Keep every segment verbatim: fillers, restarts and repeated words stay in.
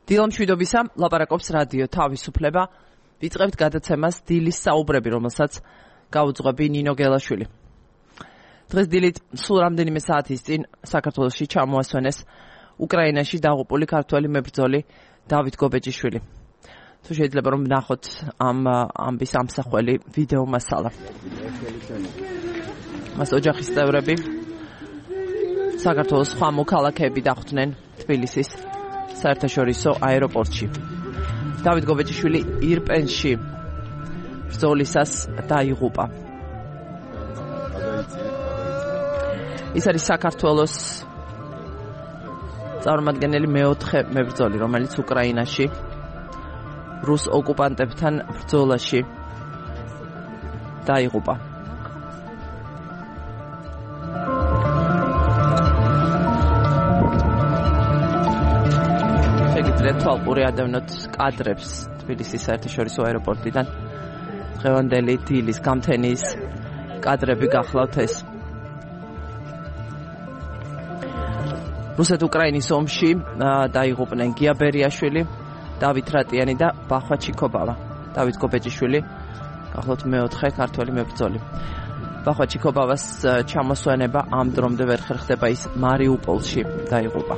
დილამშვიდობისა, ლაპარაკობს რადიო თავისუფლება. ვიწყებთ გადაცემას დილის საუბრები, რომელსაც გაუძღვები ნინო გელაშვილი. დღეს დილით სულ რამდენიმე საათის წინ საქართველოში ჩამოასვენეს უკრაინაში დაღუპული ქართველი მებრძოლი დავით გობეჯიშვილი. თუ შეიძლება რომ ვნახოთ ამ ამბის ამსახველი ვიდეო მასალა. მას ოჯახის წევრები საქართველოს სხვა მოქალაქეები დახვდნენ თბილისის საერთაშორისო აეროპორტში. დავით გობეჯიშვილი ირპენში ბრძოლისას დაიღუპა. ის არის საქართველოს წარმომადგენელი მეოთხე მებრძოლი, რომელიც უკრაინაში რუს ოკუპანტებთან ბრძოლაში დაიღუპა. თვალყური ადევნოთ კადრებს თბილისის საერთაშორისო აეროპორტიდან. დღევანდელი დილის გამთენის კადრები გახლავთ ეს. რუსეთ-უკრაინის ომში დაიღუპნენ გია ბერიაშვილი, დავით რატიანი და ბახვა ჩიქობავა. დავით გობეჯიშვილი გახლავთ მეოთხე ქართველი მებრძოლი. ბახვა ჩიქობავას ჩამოსვენება ამ დრომდე ვერ ხერხდება, ის მარიუპოლში დაიღუპა.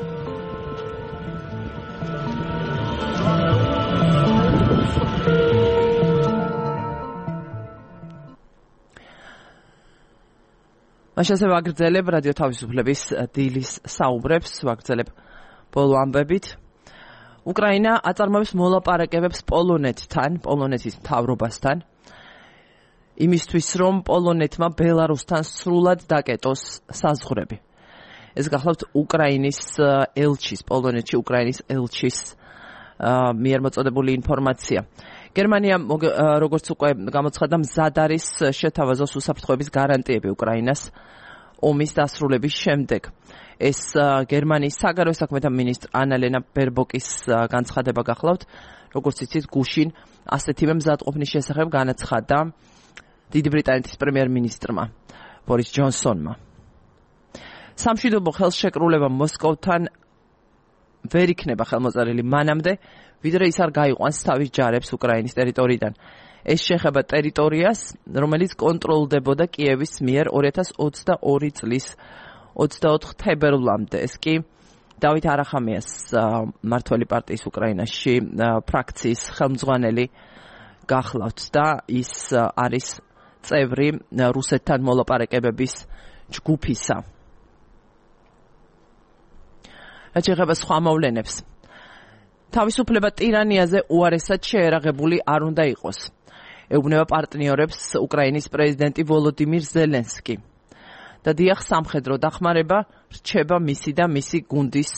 მაშასე ვაგრძელებ რადიო თავისუფლების დილის საუბრებს, ვაგრძელებ ბოლო ამბებით. უკრაინა აწარმოებს მოლაპარაკებებს პოლონეთთან, პოლონეთის მთავრობასთან, იმისთვის რომ პოლონეთმა ბელარუსთან სრულად დაკეტოს საზღვრები. ეს გახლავთ უკრაინის ელჩის, პოლონეთში უკრაინის ელჩის მიერ მოწოდებული ინფორმაცია. გერმანია, როგორც უკვე გამოცხადდა, მზად არის შეთავაზოს უსაფრთხოების გარანტიები უკრაინას ომის დასრულების შემდეგ. ეს გერმანიის საგარეო საქმეთა მინისტრ ანა-ლენა ბერბოკის განცხადება გახლავთ. როგორც იცით, გუშინ ასეთივე მზადყოფნის შესახებ განაცხადა დიდი ბრიტანეთის პრემიერ-მინისტრმა ბორის ჯონსონმა. სამშვიდობო ხელშეკრულება მოსკოვთან ვერ იქნება ხელმოწერილი მანამდე, ვიდრე ის არ გაიყვანს თავის ჯარებს უკრაინის ტერიტორიიდან. ეს შეეხება ტერიტორიას, რომელიც კონტროლდებოდა კიევის მიერ ორი ათას ოცდაორი წლის ოცდაოთხ თებერვლამდე. ეს კი დავით არახამიას მმართველი პარტიის უკრაინაში ფრაქციის ხელმძღვანელი გახლავთ და ის არის წევრი რუსეთთან მოლაპარაკებების ჯგუფისა. რაც შეეხება სხვა მოვლენებს. თავისუფლება ტირანიაზე უარესად შეერაღებული არ უნდა იყოს. ეუბნება პარტნიორებს უკრაინის პრეზიდენტი ვოლოდიმირ ზელენსკი. და დიახ, სამხედრო დახმარება რჩება მისი და მისი გუნდის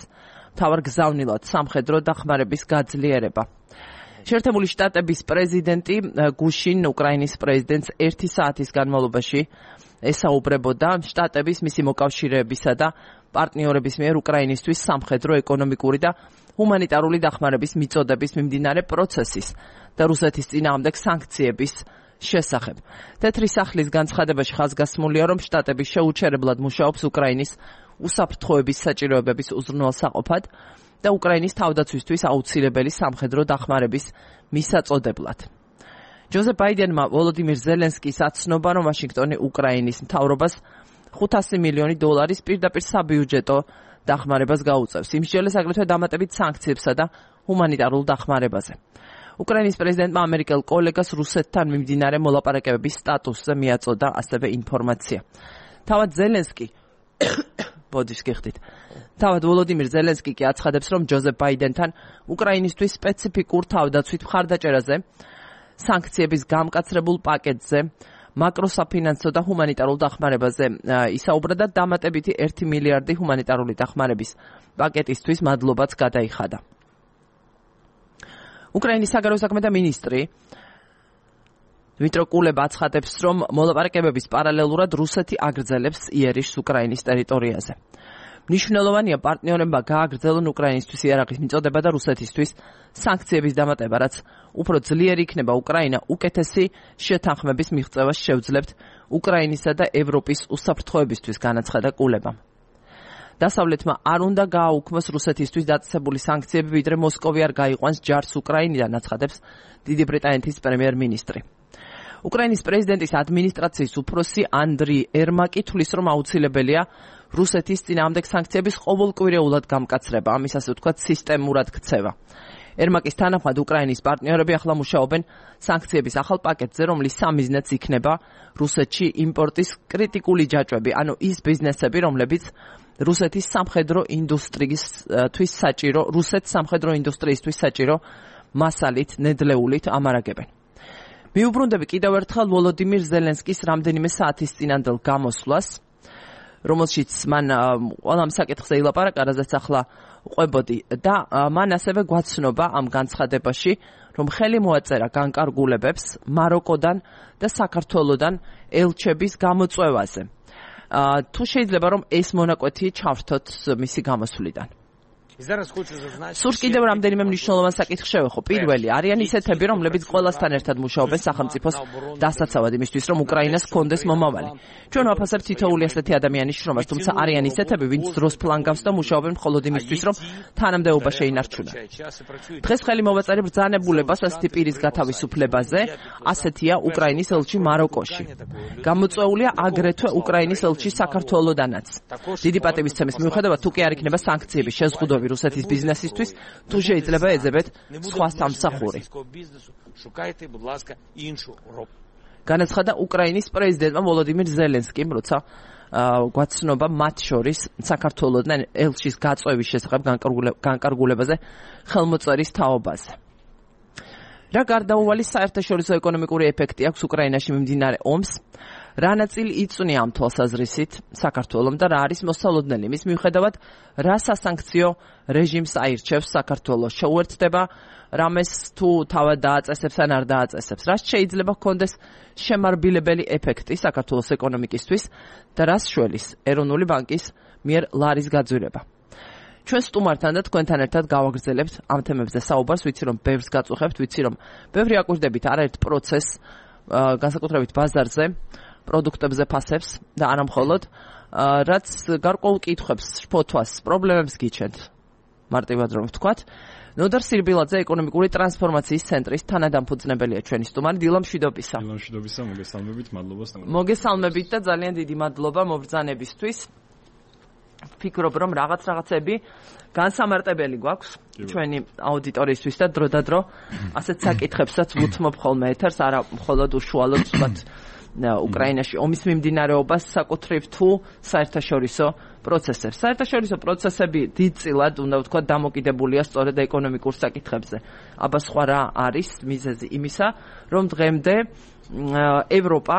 მთავარ გზავნილად სამხედრო დახმარების გაძლიერება. შეერთებული შტატების პრეზიდენტი გუშინ უკრაინის პრეზიდენტს ერთი საათის განმავლობაში ესაუბრებოდა შტატების მისი მოკავშირეებისა და პარტნიორების მიერ უკრაინისთვის სამხედრო, ეკონომიკური და ჰუმანიტარული დახმარების მიწოდების მიმდინარე პროცესის და რუსეთის წინააღმდეგ სანქციების შესახებ. თეთრი სახლის განცხადებაში ხაზგასმულია, რომ შტატები შეუჩერებლად მუშაობს უკრაინის უსაფრთხოების საჭიროებების უზრუნველსაყოფად და უკრაინის თავდაცვისთვის აუცილებელი სამხედრო დახმარების მისაწოდებლად. ჯოზეფ ბაიდენმა ვოლოდიმირ ზელენსკის აცნობა, რომ ვაშინგტონი უკრაინის მთავრობას ხუთასი მილიონი დოლარის პირდაპირ საბიუჯეტო დახმარებას გაუწევს. იმსჯელეს აგრეთვე დამატებით სანქციებსა და ჰუმანიტარულ დახმარებაზე. უკრაინის პრეზიდენტმა ამერიკელ კოლეგას რუსეთთან მიმდინარე მოლაპარაკებების სტატუსზე მიაწოდა ასევე ინფორმაცია. თავად ზელენსკი ბოდიშ გიხდით. თავად ვოლოდიმირ ზელენსკი კი აცხადებს, რომ ჯოზეფ ბაიდენთან უკრაინისთვის სპეციფიკურ თავდაცვით მხარდაჭერაზე, სანქციების გამკაცრებულ პაკეტზე, მაკროსაფინანსო და ჰუმანიტარულ დახმარებაზე ისაუბრა და დამატებითი ერთი მილიარდი ჰუმანიტარული დახმარების პაკეტისთვის მადლობაც გადაიხადა. უკრაინის საგარეო საქმეთა მინისტრი დმიტრო კულება აცხადებს, რომ მოლაპარაკებების პარალელურად რუსეთი აგრძელებს იერიშს უკრაინის ტერიტორიაზე. მნიშვნელოვანია პარტნიორებმა გააგრძელონ უკრაინისთვის იარაღის მიწოდება და რუსეთისთვის სანქციების დამატება, რაც უფრო ძლიერი იქნება უკრაინა უკეთესი შეთანხმების მიღწევას შევძლებთ უკრაინისა და ევროპის უსაფრთხოებისთვის, განაცხადა კულებამ. დასავლეთმა არ უნდა გააუქმოს რუსეთისთვის დაწესებული სანქციები, ვიდრე მოსკოვი არ გაიყვანს ჯარს უკრაინიდან, აცხადებს დიდი ბრიტანეთის პრემიერ-მინისტრი. უკრაინის პრეზიდენტის ადმინისტრაციის უფროსი ანდრი ერმაკი თვლის, რომ აუცილებელია რუსეთის წინააღმდეგ სანქციების ყოველკვირეულად გამკაცრება, ამის ასე ვთქვათ სისტემურად ქცევა. ერმაკის თანახმად უკრაინის პარტნიორები ახლა მუშაობენ სანქციების ახალ პაკეტზე, რომლის სამიზნეც იქნება რუსეთში იმპორტის კრიტიკული ჯაჭვები, ანუ ის ბიზნესები, რომლებიც რუსეთის სამხედრო ინდუსტრიისთვის საჭირო, რუსეთს სამხედრო ინდუსტრიისთვის საჭირო მასალით, ნედლეულით ამარაგებენ. მიუბრუნდები კიდევ ერთხელ ვოლოდიმირ ზელენსკის რამდენიმე საათის წინანდელ გამოსვლას, რომელშიც მან ყველა საკითხზე ილაპარაკა, რაზეც ახლა ყვებოდი და მან ასევე გვაცნობა ამ განცხადებაში, რომ ხელი მოაწერა განკარგულებებს მაროკოდან და საქართველოდან ელჩების გამოწვევაზე. თუ შეიძლება რომ ეს მონაკვეთი ჩავრთოთ მისი გამოსვლიდან. სურს კიდევ რამდენიმე მნიშვნელოვან საკითხს შევეხო. პირველი, არიან ისეთები, რომლებიც ყველასთან ერთად მუშაობენ სახელმწიფოს დასაცავად იმისთვის, რომ უკრაინას ჰქონდეს მომავალი. ჩვენ ვაფასებთ თითოეული ასეთი ადამიანის შრომას, თუმცა არიან ისეთები, ვინც დროს ფლანგავს და მუშაობენ მხოლოდ იმისთვის, რომ თანამდებობა შეინარჩუნონ. დღეს ხელი მოვაწერე ბრძანებულებას ასეთი პირის გათავისუფლებაზე, ასეთია უკრაინის ელჩი მაროკოში. გამოწვეულია აგრეთვე უკრაინის ელჩი საქართველოდანაც. დიდი პატივისცემის მიუხედავად, თუ კი არ იქნება სანქციების შეზღუდვა რუსეთის ბიზნესისთვის, თუ შეიძლება ეძებეთ სხვა სამსახური. განაცხადა უკრაინის პრეზიდენტმა ვოლოდიმირ ზელენსკიმ, როცა გვაცნობა მათ შორის საქართველოდან ელჩის გაწვევის შესახებ განკარგულებაზე ხელმოწერის თაობაზე. რა გარდაუვალი საერთაშორისო ეკონომიკური ეფექტი აქვს უკრაინაში მიმდინარე ომს, რა ნაწილი იწვნია ამ თვალსაზრისით საქართველომ და რა არის მოსალოდნელი, მის მიუხედავად რა სასანქციო რეჟიმს აირჩევს საქართველოს, შეუერთდება რამეს თუ თავად დააწესებს ან არ დააწესებს, რაც შეიძლება ჰქონდეს შემარბილებელი ეფექტი საქართველოს ეკონომიკისთვის და რას შველის ეროვნული ბანკის მიერ ლარის გაძვირება. ჩვენ სტუმართან და თქვენთან ერთად გავაგრძელებთ ამ თემებზე საუბარს, ვიცი რომ ბევრს გაწუხებთ, ვიცი რომ ბევრი აკვირდებით არაერთ პროცესს, განსაკუთრებით ბაზარზე, პროდუქტებზე ფასებს და არა მხოლოდ, რაც გარკვეულ კითხვებს, შფოთვას, პრობლემებს გიჩენთ. მარტივად რომ ვთქვათ, ნოდარ სირბილაძე ეკონომიკური ტრანსფორმაციის ცენტრის თანადამფუძნებელია ჩვენი სტუმარი. დილა მშვიდობისა. დილა მშვიდობისა, მოგესალმებით, მადლობა. მოგესალმებით და ძალიან დიდი მადლობა მობრძანებისთვის. ფიქრობ რომ რაღაც რაღაცები განსამარტებელი გვაქვს ჩვენი აუდიტორიისთვის და დროდადრო ასეთ საკითხებსაც ვუთმობ ხოლმე ეთერს, არა მხოლოდ უშუალოდ ვთქვათ უკრაინაში ომის მიმდინარეობას, საკუთრივ თუ საერთაშორისო პროცესებს. საერთაშორისო პროცესები დიდწილად უნდა ვთქვათ დამოკიდებულია სწორედ ეკონომიკურ საკითხებზე. აბა სხვა რა არის მიზეზი იმისა, რომ დღემდე ევროპა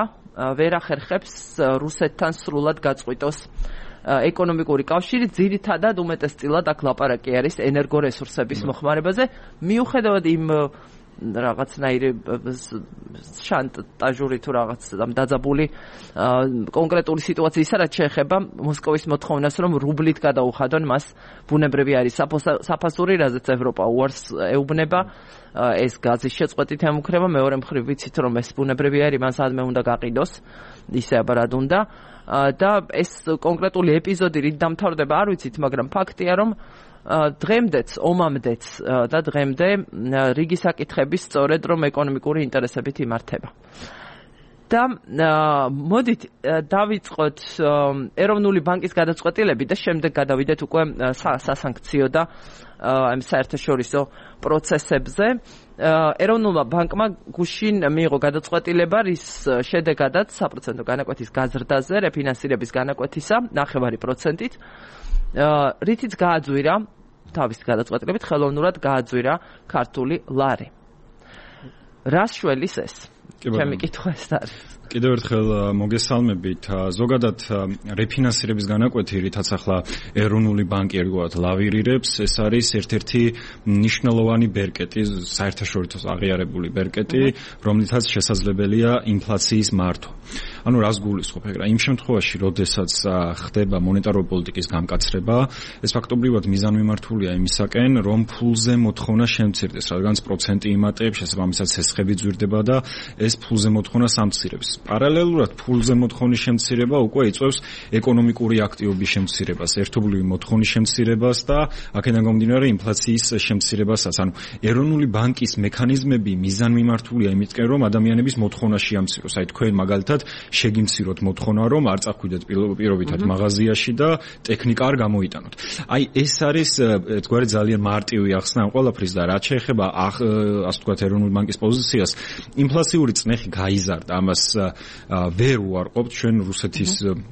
ვერ ახერხებს რუსეთთან სრულად გაწყვიტოს ეკონომიკური კავშირი, ძირითადად უმეტესწილად აქ ლაპარაკი არის ენერგორესურსების მოხმარებაზე, მიუხედავად იმ რაღაცნაირი შანტაჟური თუ რაღაც დაძაბული კონკრეტული სიტუაციისა, რაც შეეხება მოსკოვის მოთხოვნას, რომ რუბლით გადაუხადონ მას, ბუნებრივი არის საფასური, რაზეც ევროპა უარს ეუბნება, ეს გაზის შეწყვეტით ემუქრება, მეორე მხრივ ვიცით რომ ეს ბუნებრივი არის, მან სადმე უნდა გაყიდოს, ისე აბარად უნდა და ეს კონკრეტული ეპიზოდი რით დამთავრდება არ ვიცით, მაგრამ ფაქტია რომ დღემდეც, ომამდეც და დღემდე რიგი საკითხები სწორედ რომ ეკონომიკური ინტერესებით იმართება. და მოდით დავიწყოთ ეროვნული ბანკის გადაწყვეტილებით და შემდეგ გადავიდეთ უკვე სასანქციო და ამ საერთაშორისო პროცესებზე. ეროვნულმა ბანკმა გუშინ მიიღო გადაწყვეტილება, რის შედეგადაც საპროცენტო განაკვეთის გაზრდაზე, რეფინანსირების განაკვეთისა ნახევარი პროცენტით, რითიც გააძვირა, თავის გადაწყვეტილებით ხელოვნურად გააძვირა ქართული ლარი. რას შველის ეს? ჩემი კითხვა ეს არის. კიდევ ერთხელ მოგესალმებით. ზოგადად რეფინანსირების განაკვეთი, რითაც ახლა ეროვნული ბანკი ერთგვარად ლავირირებს, ეს არის ერთ-ერთი მნიშვნელოვანი ბერკეტი, საერთაშორისო აღიარებული ბერკეტი, რომლითაც შესაძლებელია ინფლაციის მართვა. ანუ რას გულისხმობ ეგრა? იმ შემთხვევაში, როდესაც ხდება მონეტარული პოლიტიკის გამკაცრება, ეს ფაქტობრივად მიზანმიმართულია იმისაკენ, რომ ფულზე მოთხოვნა შემცირდეს, რადგანაც პროცენტი იმატებს, შესაბამისად სესხები ძვირდება და ეს ფულზე მოთხოვნა სამცირებს. პარალელურად ფულზე მოთხოვნის შემცირება უკვე იწვევს ეკონომიკური აქტივობის შემცირებას, ერთობლივი მოთხოვნის შემცირებას და აქედან გამომდინარე ინფლაციის შემცირებასაც. ანუ ეროვნული ბანკის მექანიზმები მიზანმიმართულია იმისკენ, რომ ადამიანების მოთხოვნა შეამციროს. აი თქვენ მაგალითად შეგიმციროთ მოთხოვნა, რომ არ წახვიდეთ პირობითად მაღაზიაში და ტექნიკა არ გამოიტანოთ. აი ეს არის ერთგვარი ძალიან მარტივი ახსნა ამ ყველაფრის და რაც შეეხება ასე ვთქვათ ეროვნული ბანკის პოზიციას, ინფლაციური წნეხი გაიზარდა. ამას ვერ უარყოფთ ჩვენ რუსეთის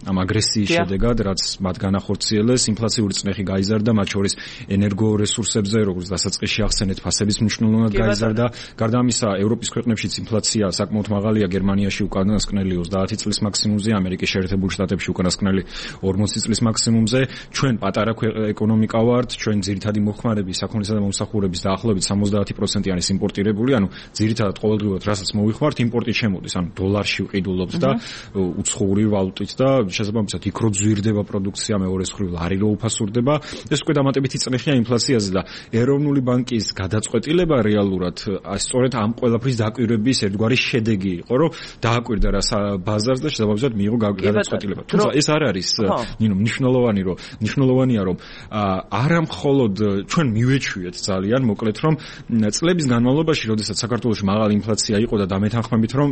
ამ აგრესიის შედეგად, რაც მათ განახორციელეს, ინფლაციური წნეხი გაიზარდა, მათ შორის ენერგორესურსებზე, როგორც დასაწყისში ახსენეთ, ფასების მნიშვნელოვნად გაიზარდა. გარდა ამისა, ევროპის ქვეყნებშიც ინფლაცია საკმაოდ მაღალია, გერმანიაში უკანასკნელი ოცდაათი წლის მაქსიმუმზე, ამერიკის შეერთებულ შტატებში უკანასკნელი ორმოცი წლის მაქსიმუმზე. ჩვენ პატარა ეკონომიკა ვართ, ჩვენ ძირითადი მოხმარების, საქონლისა და მომსახურების დაახლოებით სამოცდაათი პროცენტიანი იმპორტირებული, ანუ ძირითადად ყოველდღიურად რასაც მოვიხმართ, იმპორტით შემოდის, ანუ დოლარში ვყიდულობთ და უცხოური ვალუტით და შესაბამისად იქ რო ძვირდება პროდუქცია, მეორე მხრივ ლარი რო უფასურდება, ეს უკვე დამატებითი წნეხია ინფლაციაზე და ეროვნული ბანკის გადაწყვეტილება რეალურად სწორედ ამ ყველაფრის დაკვირვების ერთგვარი შედეგი იყო, რომ დააკვირდა რა ბაზარს და შესაბამისად მიიღო გადაწყვეტილება. თუმცა ეს არ არის ნინო მნიშვნელოვანი, რომ მნიშვნელოვანია, რომ არა მხოლოდ ჩვენ მივეჩვიეთ ძალიან მოკლედ, რომ წლების განმავლობაში, როდესაც საქართველოში მაღალი ინფლაცია იყო და დამეთანხმებით, რომ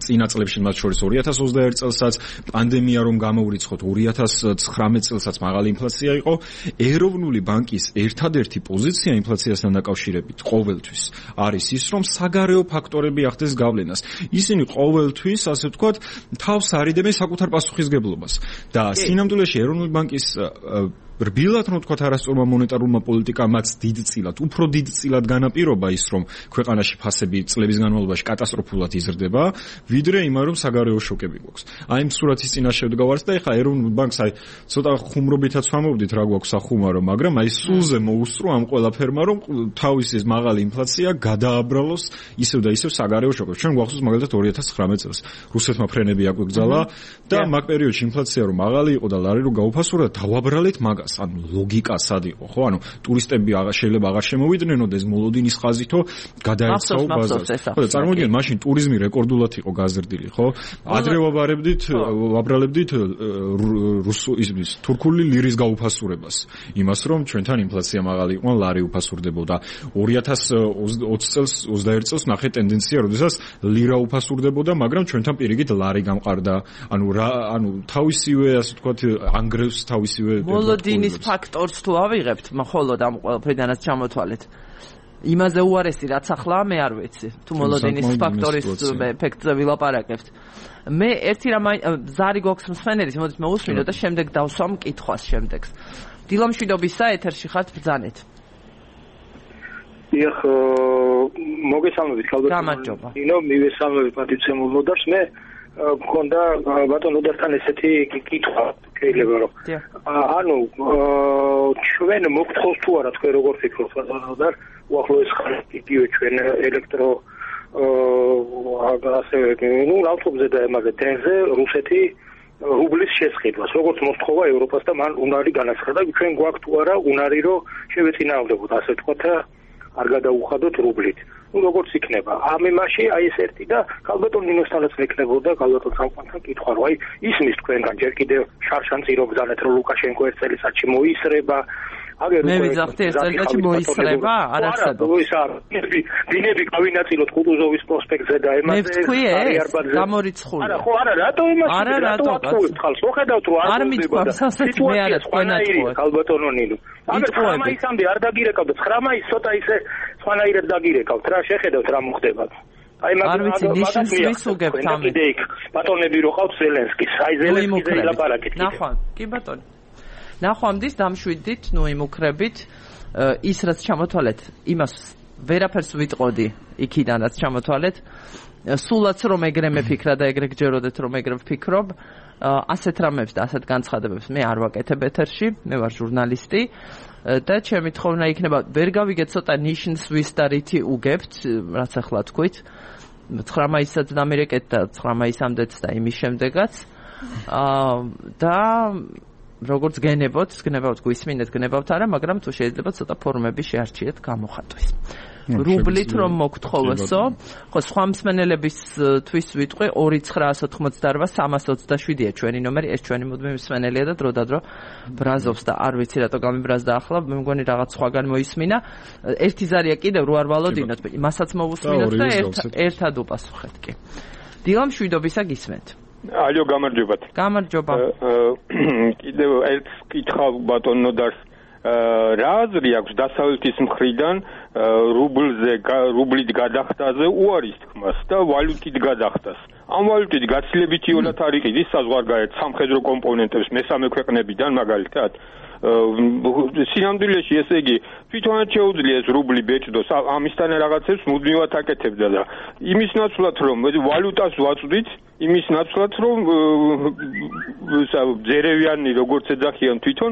წინა წლებში მათ შორის ორი ათას ოცდაერთი წელსაც პანდემია რომ გამოურიცხოთ ორი ათას ცხრამეტ წელსაც მაღალი ინფლაცია იყო, ეროვნული ბანკის ერთადერთი პოზიცია ინფლაციასთან დაკავშირებით ყოველთვის არის ის, რომ საგარეო ფაქტორები ახდენს გავლენას. ისინი ყოველთვის, ასე ვთქვათ, თავს არიდებენ საკუთარ პასუხისგებლობას და სინამდვილეში ეროვნული ბანკის რბილად რომ ვთქვათ არასწორმა მონეტარულმა პოლიტიკამაც დიდწილად, უფრო დიდწილად განაპირობა ის, რომ ქვეყანაში ფასები წლების განმავლობაში კატასტროფულად იზრდება, ვიდრე იმან რომ საგარეო შოკები გვაქვს. აი ამ სურათის წინაშე ვდგავართ და ეხლა ეროვნულ ბანკს აი ცოტა ხუმრობითაც ვამოვდით რა გვაქვს სახუმარო, მაგრამ აი სულზე მოუსწრო ამ ყველაფერმა, რომ თავისი ეს მაღალი ინფლაცია გადააბრალოს ისევ და ისევ საგარეო შოკებს. ჩვენ გვახსოვს მაგალითად ორი ათას ცხრამეტ წელს რუსეთმა ფრენები აგვიგზალა და მაგ პერიოდში ინფლაცია რომ მაღალი იყო და ლარი რომ გაუფასურდა, დავაბრალეთ მაგას. ანუ ლოგიკა სად იყო, ხო? ანუ ტურისტები შეიძლება აღარ შემოვიდნენ მოლოდინის ხაზითო გადაეცაო ბაზარს. ხო, და წარმოგიდგენთ, მაშინ ტურიზმი რეკორდულად იყო გაზრდილი, ხო? ადრე ვაბარებდით, ვაბრალებდით რუსულ ისმის თურქული ლირის გაუფასურებას. იმას რომ ჩვენთან ინფლაცია მაღალი იყო, ლარი უფასურდებოდა. ორი ათას ოცი წელს, ოცდაერთი წელს ნახე ტენდენცია, როდესაც ლირა უფასურდებოდა, მაგრამ ჩვენთან პირიქით ლარი გამყარდა. ანუ რა, ანუ თავისივე, ასე ვთქვათ, ანგრევს თავისივე მოლოდინის ფაქტორს თუ ავიღებთ, მხოლოდ ამ ყველაფრიდანაც ჩამოთვალეთ. იმაზე უარესი რაც ახლა მე არ ვიცი. თუ მოლოდინის ფაქტორის ეფექტზე ვილაპარაკებთ. მე ერთი რამ ზარი გვაქვს მსმენელის, მოდით მოусმინო და შემდეგ დავსვამ კითხვას შემდეგს. დილამშვიდობისა ეთერში ხართ, ბრძანეთ. დიახ, მოგესალმებით ქალბატონო. გამარჯობა. ნინო, მივესალმებით პატიცემულ მოდარს. მე მქონდა ბატონ უდართან ესეთი კითხვა შეიძლება რომ ანუ ჩვენ მოგთხოვს თუ არა თქვენ როგორ ფიქრობთ ბატონ უდარ უახლოეს ხალხი ჩვენ ელექტრო ასე ნუ ლავტობზე და ამაზე დენზე რუსეთი რუბლის შესყიდვას როგორც მოსთხოვა ევროპას და მან უნარი განაცხადა ჩვენ გვაქვს თუ არა უნარი რომ შევეწინააღმდეგოთ ასე ვთქვათ არ გადაუხადოთ რუბლით. ნუ როგორც იქნება. ამ იმაში აი ეს ერთი და ქალბატონ ნინოსთანაც მეკნებოდა ქალბატონ სამყაროსთან კითხვა რომ აი ისმის თქვენგან ჯერ კიდევ შარშანცი რო გზანეთ რომ ლუკაშენკო ერთ წელიწადში მოისრება. აგერ მე ვიძახდი ერთ წელიწადში მოისრება? არ არსებობს. ის არ დინები გავინაწილოთ კუტუზოვის პროსპექტზე და ემაზე. მე ვთქვი ეს გამორიცხული. არა ხო არა რატო იმაში არა რატო ხალხს მოხედავთ რომ არ მიყვარს ასეთი მე არა თქვენაც ხო ქალბატონო ნინო. აგერ ცხრა მაისამდე არ დაგირეკავთ ცხრა მაისს ცოტა ისე სხვანაირად დაგირეკავთ რა შეხედავთ რა მოხდება. აი მაგალითად ნიშნის ვისუგებთ ამ ბატონები რო ყავთ ზელენსკის აი ზელენსკიზე ლაპარაკით. ნახვა კი ბატონო. ნახვამდის დამშვიდით, ნუ იმუქრებით, ის რაც ჩამოთვალეთ, იმას ვერაფერს ვიტყოდი იქიდანაც ჩამოთვალეთ. სულაც რომ ეგრე მეფიქრა და ეგრე გჯეროდეთ რომ ეგრე ვფიქრობ, ასეთ რამებს და ასეთ განცხადებებს მე არ ვაკეთებ ეთერში, მე ვარ ჟურნალისტი და ჩემი თხოვნა იქნება ვერ გავიგეთ ცოტა ნიშნს ვის და რითი უგებთ, რაც ახლა თქვით. ცხრა მაისსაც დამირეკეთ და ცხრა მაისამდეც და იმის შემდეგაც. და როგორც გენებოთ, გნებავთ, გვისმინეთ, გნებავთ არა, მაგრამ თუ შეიძლება ცოტა ფორმები შეარჩიეთ გამოხატვის. რუბლით რომ მოგთხოვოსო. ხო, სხვა მსმენელებისთვის ვიტყვი ორი ცხრაასი ოთხმოცდაოთხ სამას ოცდაშვიდია ჩვენი ნომერი, ეს ჩვენი მუდმივი მსმენელია და დროდადრო ბრაზობს და არ ვიცი რატო გამიბრაზდა ახლა, მე მგონი რაღაც სხვაგან მოისმინა. ერთი ზარია კიდევ რო არ ვალოდინოთ, მასაც მოვუსმინოთ და ერთად უპასუხეთ კი. დილა მშვიდობისა გისმენთ. ალო, გამარჯობათ. გამარჯობა. კიდევ ერთ კითხვა ბატონო და რა აზრი აქვს დასავლეთის მხრიდან რუბლზე რუბლით გადახდაზე უარის თქმას და ვალუტით გადახდას. ამ ვალუტით გაცილებითი ოლათ არ იყიდის საზღვარგარეთ სამხედრო კომპონენტებს მესამე ქვეყნებიდან მაგალითად სინამდვილეში ესე იგი თვითონაც შეუძლია ეს რუბლი ბეჭდოს ამისთან რაღაცებს მუდმივად აკეთებდა და იმის ნაცვლად რომ ვალუტას ვაწვდით იმის ნაცვლად რომ ძერევიანი როგორც ეძახიან თვითონ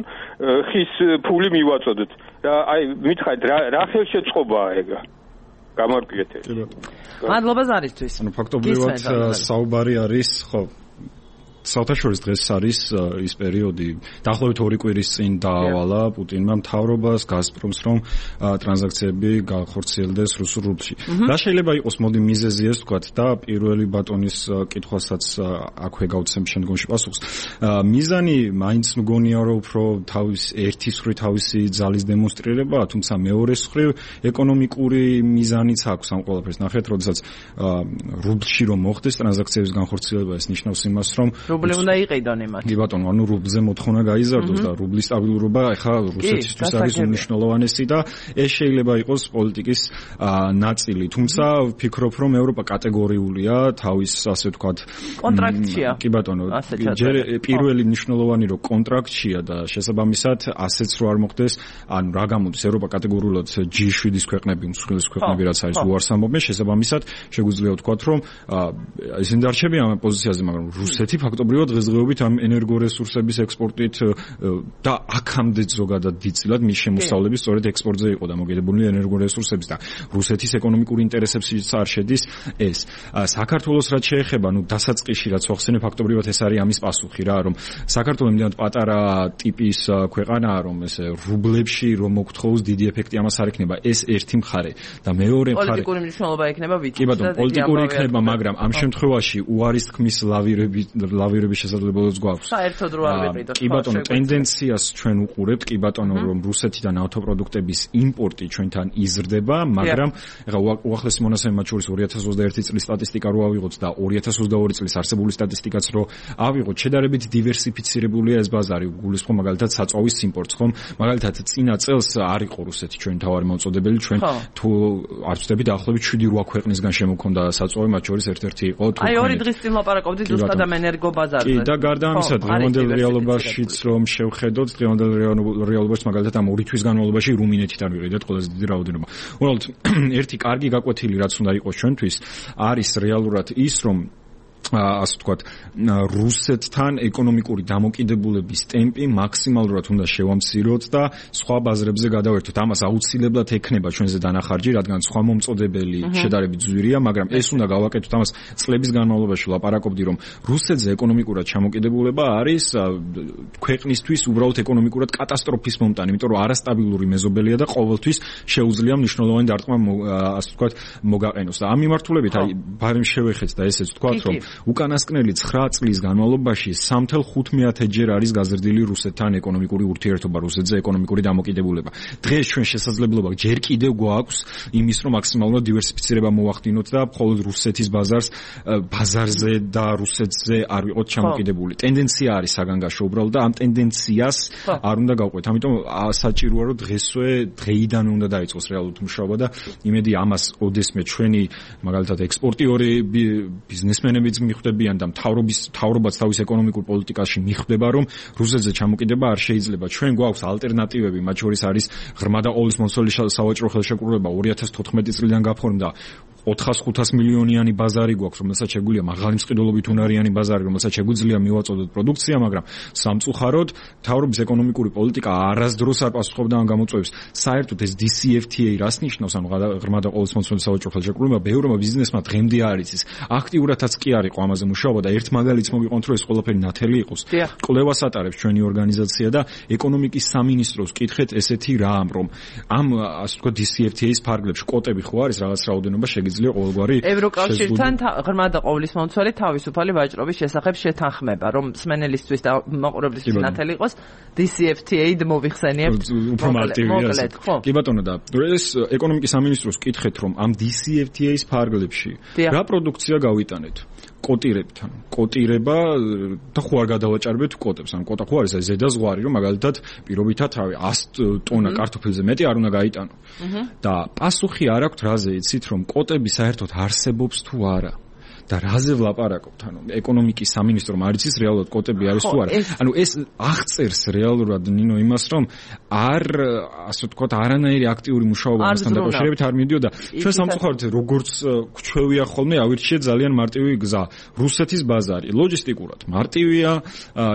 ხის ფული მივაწოდოთ და აი მითხარით რა რა ხელშეწყობაა ეგა გამარკვიეთ ეს მადლობა ზარისთვის ანუ ფაქტობრივად საუბარი არის ხო საერთაშორისო დღეს არის ის პერიოდი დაახლოებით ორი კვირის წინ დაავალა პუტინმა მთავრობას გაზპრომს რომ ტრანზაქციები განხორციელდეს რუსულ რუბლში. და შეიძლება იყოს მოდი მიზეზი ეს ვთქვათ და პირველი ბატონის კითხვასაც აქვე გავცემ შემდგომში პასუხს. მიზანი მაინც მგონია რომ უფრო თავის ერთის მხრივ თავისი ძალის დემონსტრირებაა, თუმცა მეორეს მხრივ ეკონომიკური მიზანიც აქვს ამ ყველაფერს. ნახეთ, როდესაც რუბლში რომ მოხდეს ტრანზაქციების განხორციელება, ეს ნიშნავს იმას, რომ რუბლი უნდა იყიდონ იმათ. კი ბატონო, ანუ რუბლზე მოთხოვნა გაიზარდოს და რუბლის სტაბილურობა ახლა რუსეთისთვის არის უმნიშვნელოვანესი და ეს შეიძლება იყოს პოლიტიკის ნაწილი. თუმცა ვფიქრობ, რომ ევროპა კატეგორიულია თავის ასე ვთქვათ კონტრაქტშია. კი ბატონო, ჯერ პირველი მნიშვნელოვანი რომ კონტრაქტშია და შესაბამისად ასეც რო არ მოხდეს, ანუ რა გამოდის ევროპა კატეგორიულად ჯი შვიდის ქვეყნები, უმსხვილესი ქვეყნები რაც არის უარს ამბობენ, შესაბამისად შეგვიძლია ვთქვათ, რომ ისინი დარჩებიან ამ პოზიციაზე, მაგრამ რუსეთი ფაქტობრივად დღესდღეობით ამ ენერგორესურსების ექსპორტით და აქამდე ზოგადად დიდწილად მის შემოსავლების სწორედ ექსპორტზე იყო დამოკიდებული ენერგორესურსების და რუსეთის ეკონომიკური ინტერესებშიც არ შედის ეს. საქართველოს რაც შეეხება, ну დასაწყისში რაც ახსენე ფაქტობრივად ეს არის ამის პასუხი რა, რომ საქართველოს იმდენად პატარა ტიპის ქვეყანაა, რომ ეს რუბლებში რომ მოგთხოვოს დიდი ეფექტი ამას არ ექნება. ეს ერთი მხარე და მეორე მხარე პოლიტიკური მნიშვნელობა ექნება ვიცით. კი ბატონო, პოლიტიკური ექნება, მაგრამ ამ შემთხვევაში უარის თქმის ლავირები ლავირების შესაძლებლობაც გვაქვს. საერთოდ რო არ ვიყიდოთ. კი ბატონო, ტენდენციას ჩვენ უყურებთ, კი ბატონო, რომ რუსეთიდან ავტოპროდუქტების იმპორტი ჩვენთან იზრდება, მაგრამ ეხლა უახლესი მონაცემი მათ შორის ორი ათას ოცდაერთი წლის სტატისტიკა რო ავიღოთ და ორი ათას ოცდაორი წლის არსებული სტატისტიკაც რო ავიღოთ, შედარებით დივერსიფიცირებულია ეს ბაზარი, გულისხმობ მაგალითად საწვავის იმპორტს, ხომ? მაგალითად წინა წელს არ იყო რუსეთი ჩვენი თავარი მომწოდებელი, ჩვენ თუ არ ვწდები დაახლოებით შვიდი რვა ქვეყნისგან შემოქონდა საწვავი, მათ შორის ერთ-ერთი იყო თურქეთი. აი ორი დღის წინ ლაპარაკობდით ზუსტად ამ ენერგო ბაზარზე. კი და გარდა ამისა დღევანდელ რეალობაშიც რომ შევხედოთ, დღევანდელ რეალობაში მაგალითად ამ ორი თვის განმავლობაში რუმინეთიდან ვიყიდეთ ყველაზე დიდი რაოდენობა. უბრალოდ ერთი კარგი გაკვეთილი რაც უნდა იყოს ჩვენთვის არის რეალურად ის რომ ასე ვთქვათ, რუსეთთან ეკონომიკური დამოკიდებულების ტემპი მაქსიმალურად უნდა შევამციროთ და სხვა ბაზრებზე გადავერთოთ. ამას აუცილებლად ექნება ჩვენზე დანახარჯი, რადგან სხვა მომწოდებელი შედარებით ძვირია, მაგრამ ეს უნდა გავაკეთოთ. ამას წლების განმავლობაში ლაპარაკობდი, რომ რუსეთზე ეკონომიკურად ჩამოკიდებულება არის ქვეყნისთვის უბრალოდ ეკონომიკურად კატასტროფის მომტანი, იმიტომ რომ არასტაბილური მეზობელია და ყოველთვის შეუძლია მნიშვნელოვანი დარტყმა ასე ვთქვათ მოგაყენოს. და ამ მიმართულებით აი ბარემ შევეხეთ და ესეც ვთქვათ, რომ უკანასკნელი ცხრა წლის განმავლობაში სამი ათას ხუთმეათე ჯერ არის გაზრდილი რუსეთთან ეკონომიკური ურთიერთობა, რუსეთზე ეკონომიკური დამოკიდებულება. დღეს ჩვენ შესაძლებლობა ჯერ კიდევ გვაქვს იმის, რომ მაქსიმალურად დივერსიფიცირება მოვახდინოთ და მხოლოდ რუსეთის ბაზარს ბაზარზე და რუსეთზე არ ვიყოთ ჩამოკიდებული. ტენდენცია არის საგანგაშო უბრალოდ და ამ ტენდენციას არ უნდა გავყვეთ. ამიტომ საჭიროა რომ დღესვე დღეიდან უნდა დაიწყოს რეალურად მუშაობა და იმედი ამას ოდესმე ჩვენი მაგალითად ექსპორტიორი ბიზნესმენებიც მიხვდებიან და მთავრობის მთავრობაც თავის ეკონომიკურ პოლიტიკაში მიხვდება, რომ რუსეთზე ჩამოკიდება არ შეიძლება. ჩვენ გვაქვს ალტერნატივები, მათ შორის არის ღრმა და ყოვლის მოსწოლის სავაჭრო ხელშეკრულება ორი ათას თოთხმეტი წლიდან გაფორმდა. ოთხას ხუთას მილიონიანი ბაზარი გვაქვს, რომელსაც შეგვიძლია მაღალი მსყიდველობით უნარიანი ბაზარი, რომელსაც შეგვიძლია მივაწოდოთ პროდუქცია, მაგრამ სამწუხაროდ მთავრობის ეკონომიკური პოლიტიკა არასდროს არ პასუხობდა ამ გამოწვევებს. საერთოდ ეს დი სი ეფ ტი ეი რას ნიშნავს, ანუ ღრმა და ყოვლისმომცველი სავაჭრო ხელშეკრულება ბევრმა ბიზნესმა დღემდე არ იცის. აქტიურადაც კი არ იყო ამაზე მუშაობა და ერთ მაგალითს მოგიყონთ, რომ ეს ყველაფერი ნათელი იყოს. კვლევას ატარებს ჩვენი ორგანიზაცია და ეკონომიკის სამინისტროს კითხეთ ესეთი რამ, რომ ამ ასე ვთქვათ დი სი ეფ ტი ეის ფარგლებში კვოტები ხო არის რაღაც რაოდენობა შეგიძლია ყოველგვარი ევროკავშირთან ღრმა და ყოვლისმომცველი თავისუფალი ვაჭრობის შესახებ შეთანხმება, რომ სმენელისთვის და მაყურებლისთვის ნათელი იყოს დი სი ეფ ტი ეი-д მოვიხსენიებთ. უფრო მარტივია. კი ბატონო და ეს ეკონომიკის სამინისტროს კითხეთ, რომ ამ დი სი ეფ ტი ეის ფარგლებში რა პროდუქცია გავიტანეთ? კოტირებთან. კოტირება და ხო არ გადავაჭარბეთ კოტებს. ან კოტა ხო არის ეს ზედა ზღვარი, რომ მაგალითად პირობითად ას ტონა კარტოფილზე მეტი არ უნდა გაიტანო. და პასუხი არ აქვს რაზე იცით, რომ კოტები საერთოდ არსებობს თუ არა. და რაზე ვლაპარაკობთ? ანუ ეკონომიკის სამინისტრომ არ იცის რეალურად კოტები არის თუ არა. ანუ ეს აღწერს რეალურად ნინო იმას, რომ არ ასე ვთქვათ არანაირი აქტიური მუშაობა მასთან დაკავშირებით არ მიდიოდა. ჩვენ სამწუხაროდ როგორც გვჩვევია ხოლმე ავირჩიეთ ძალიან მარტივი გზა. რუსეთის ბაზარი ლოჯისტიკურად მარტივია,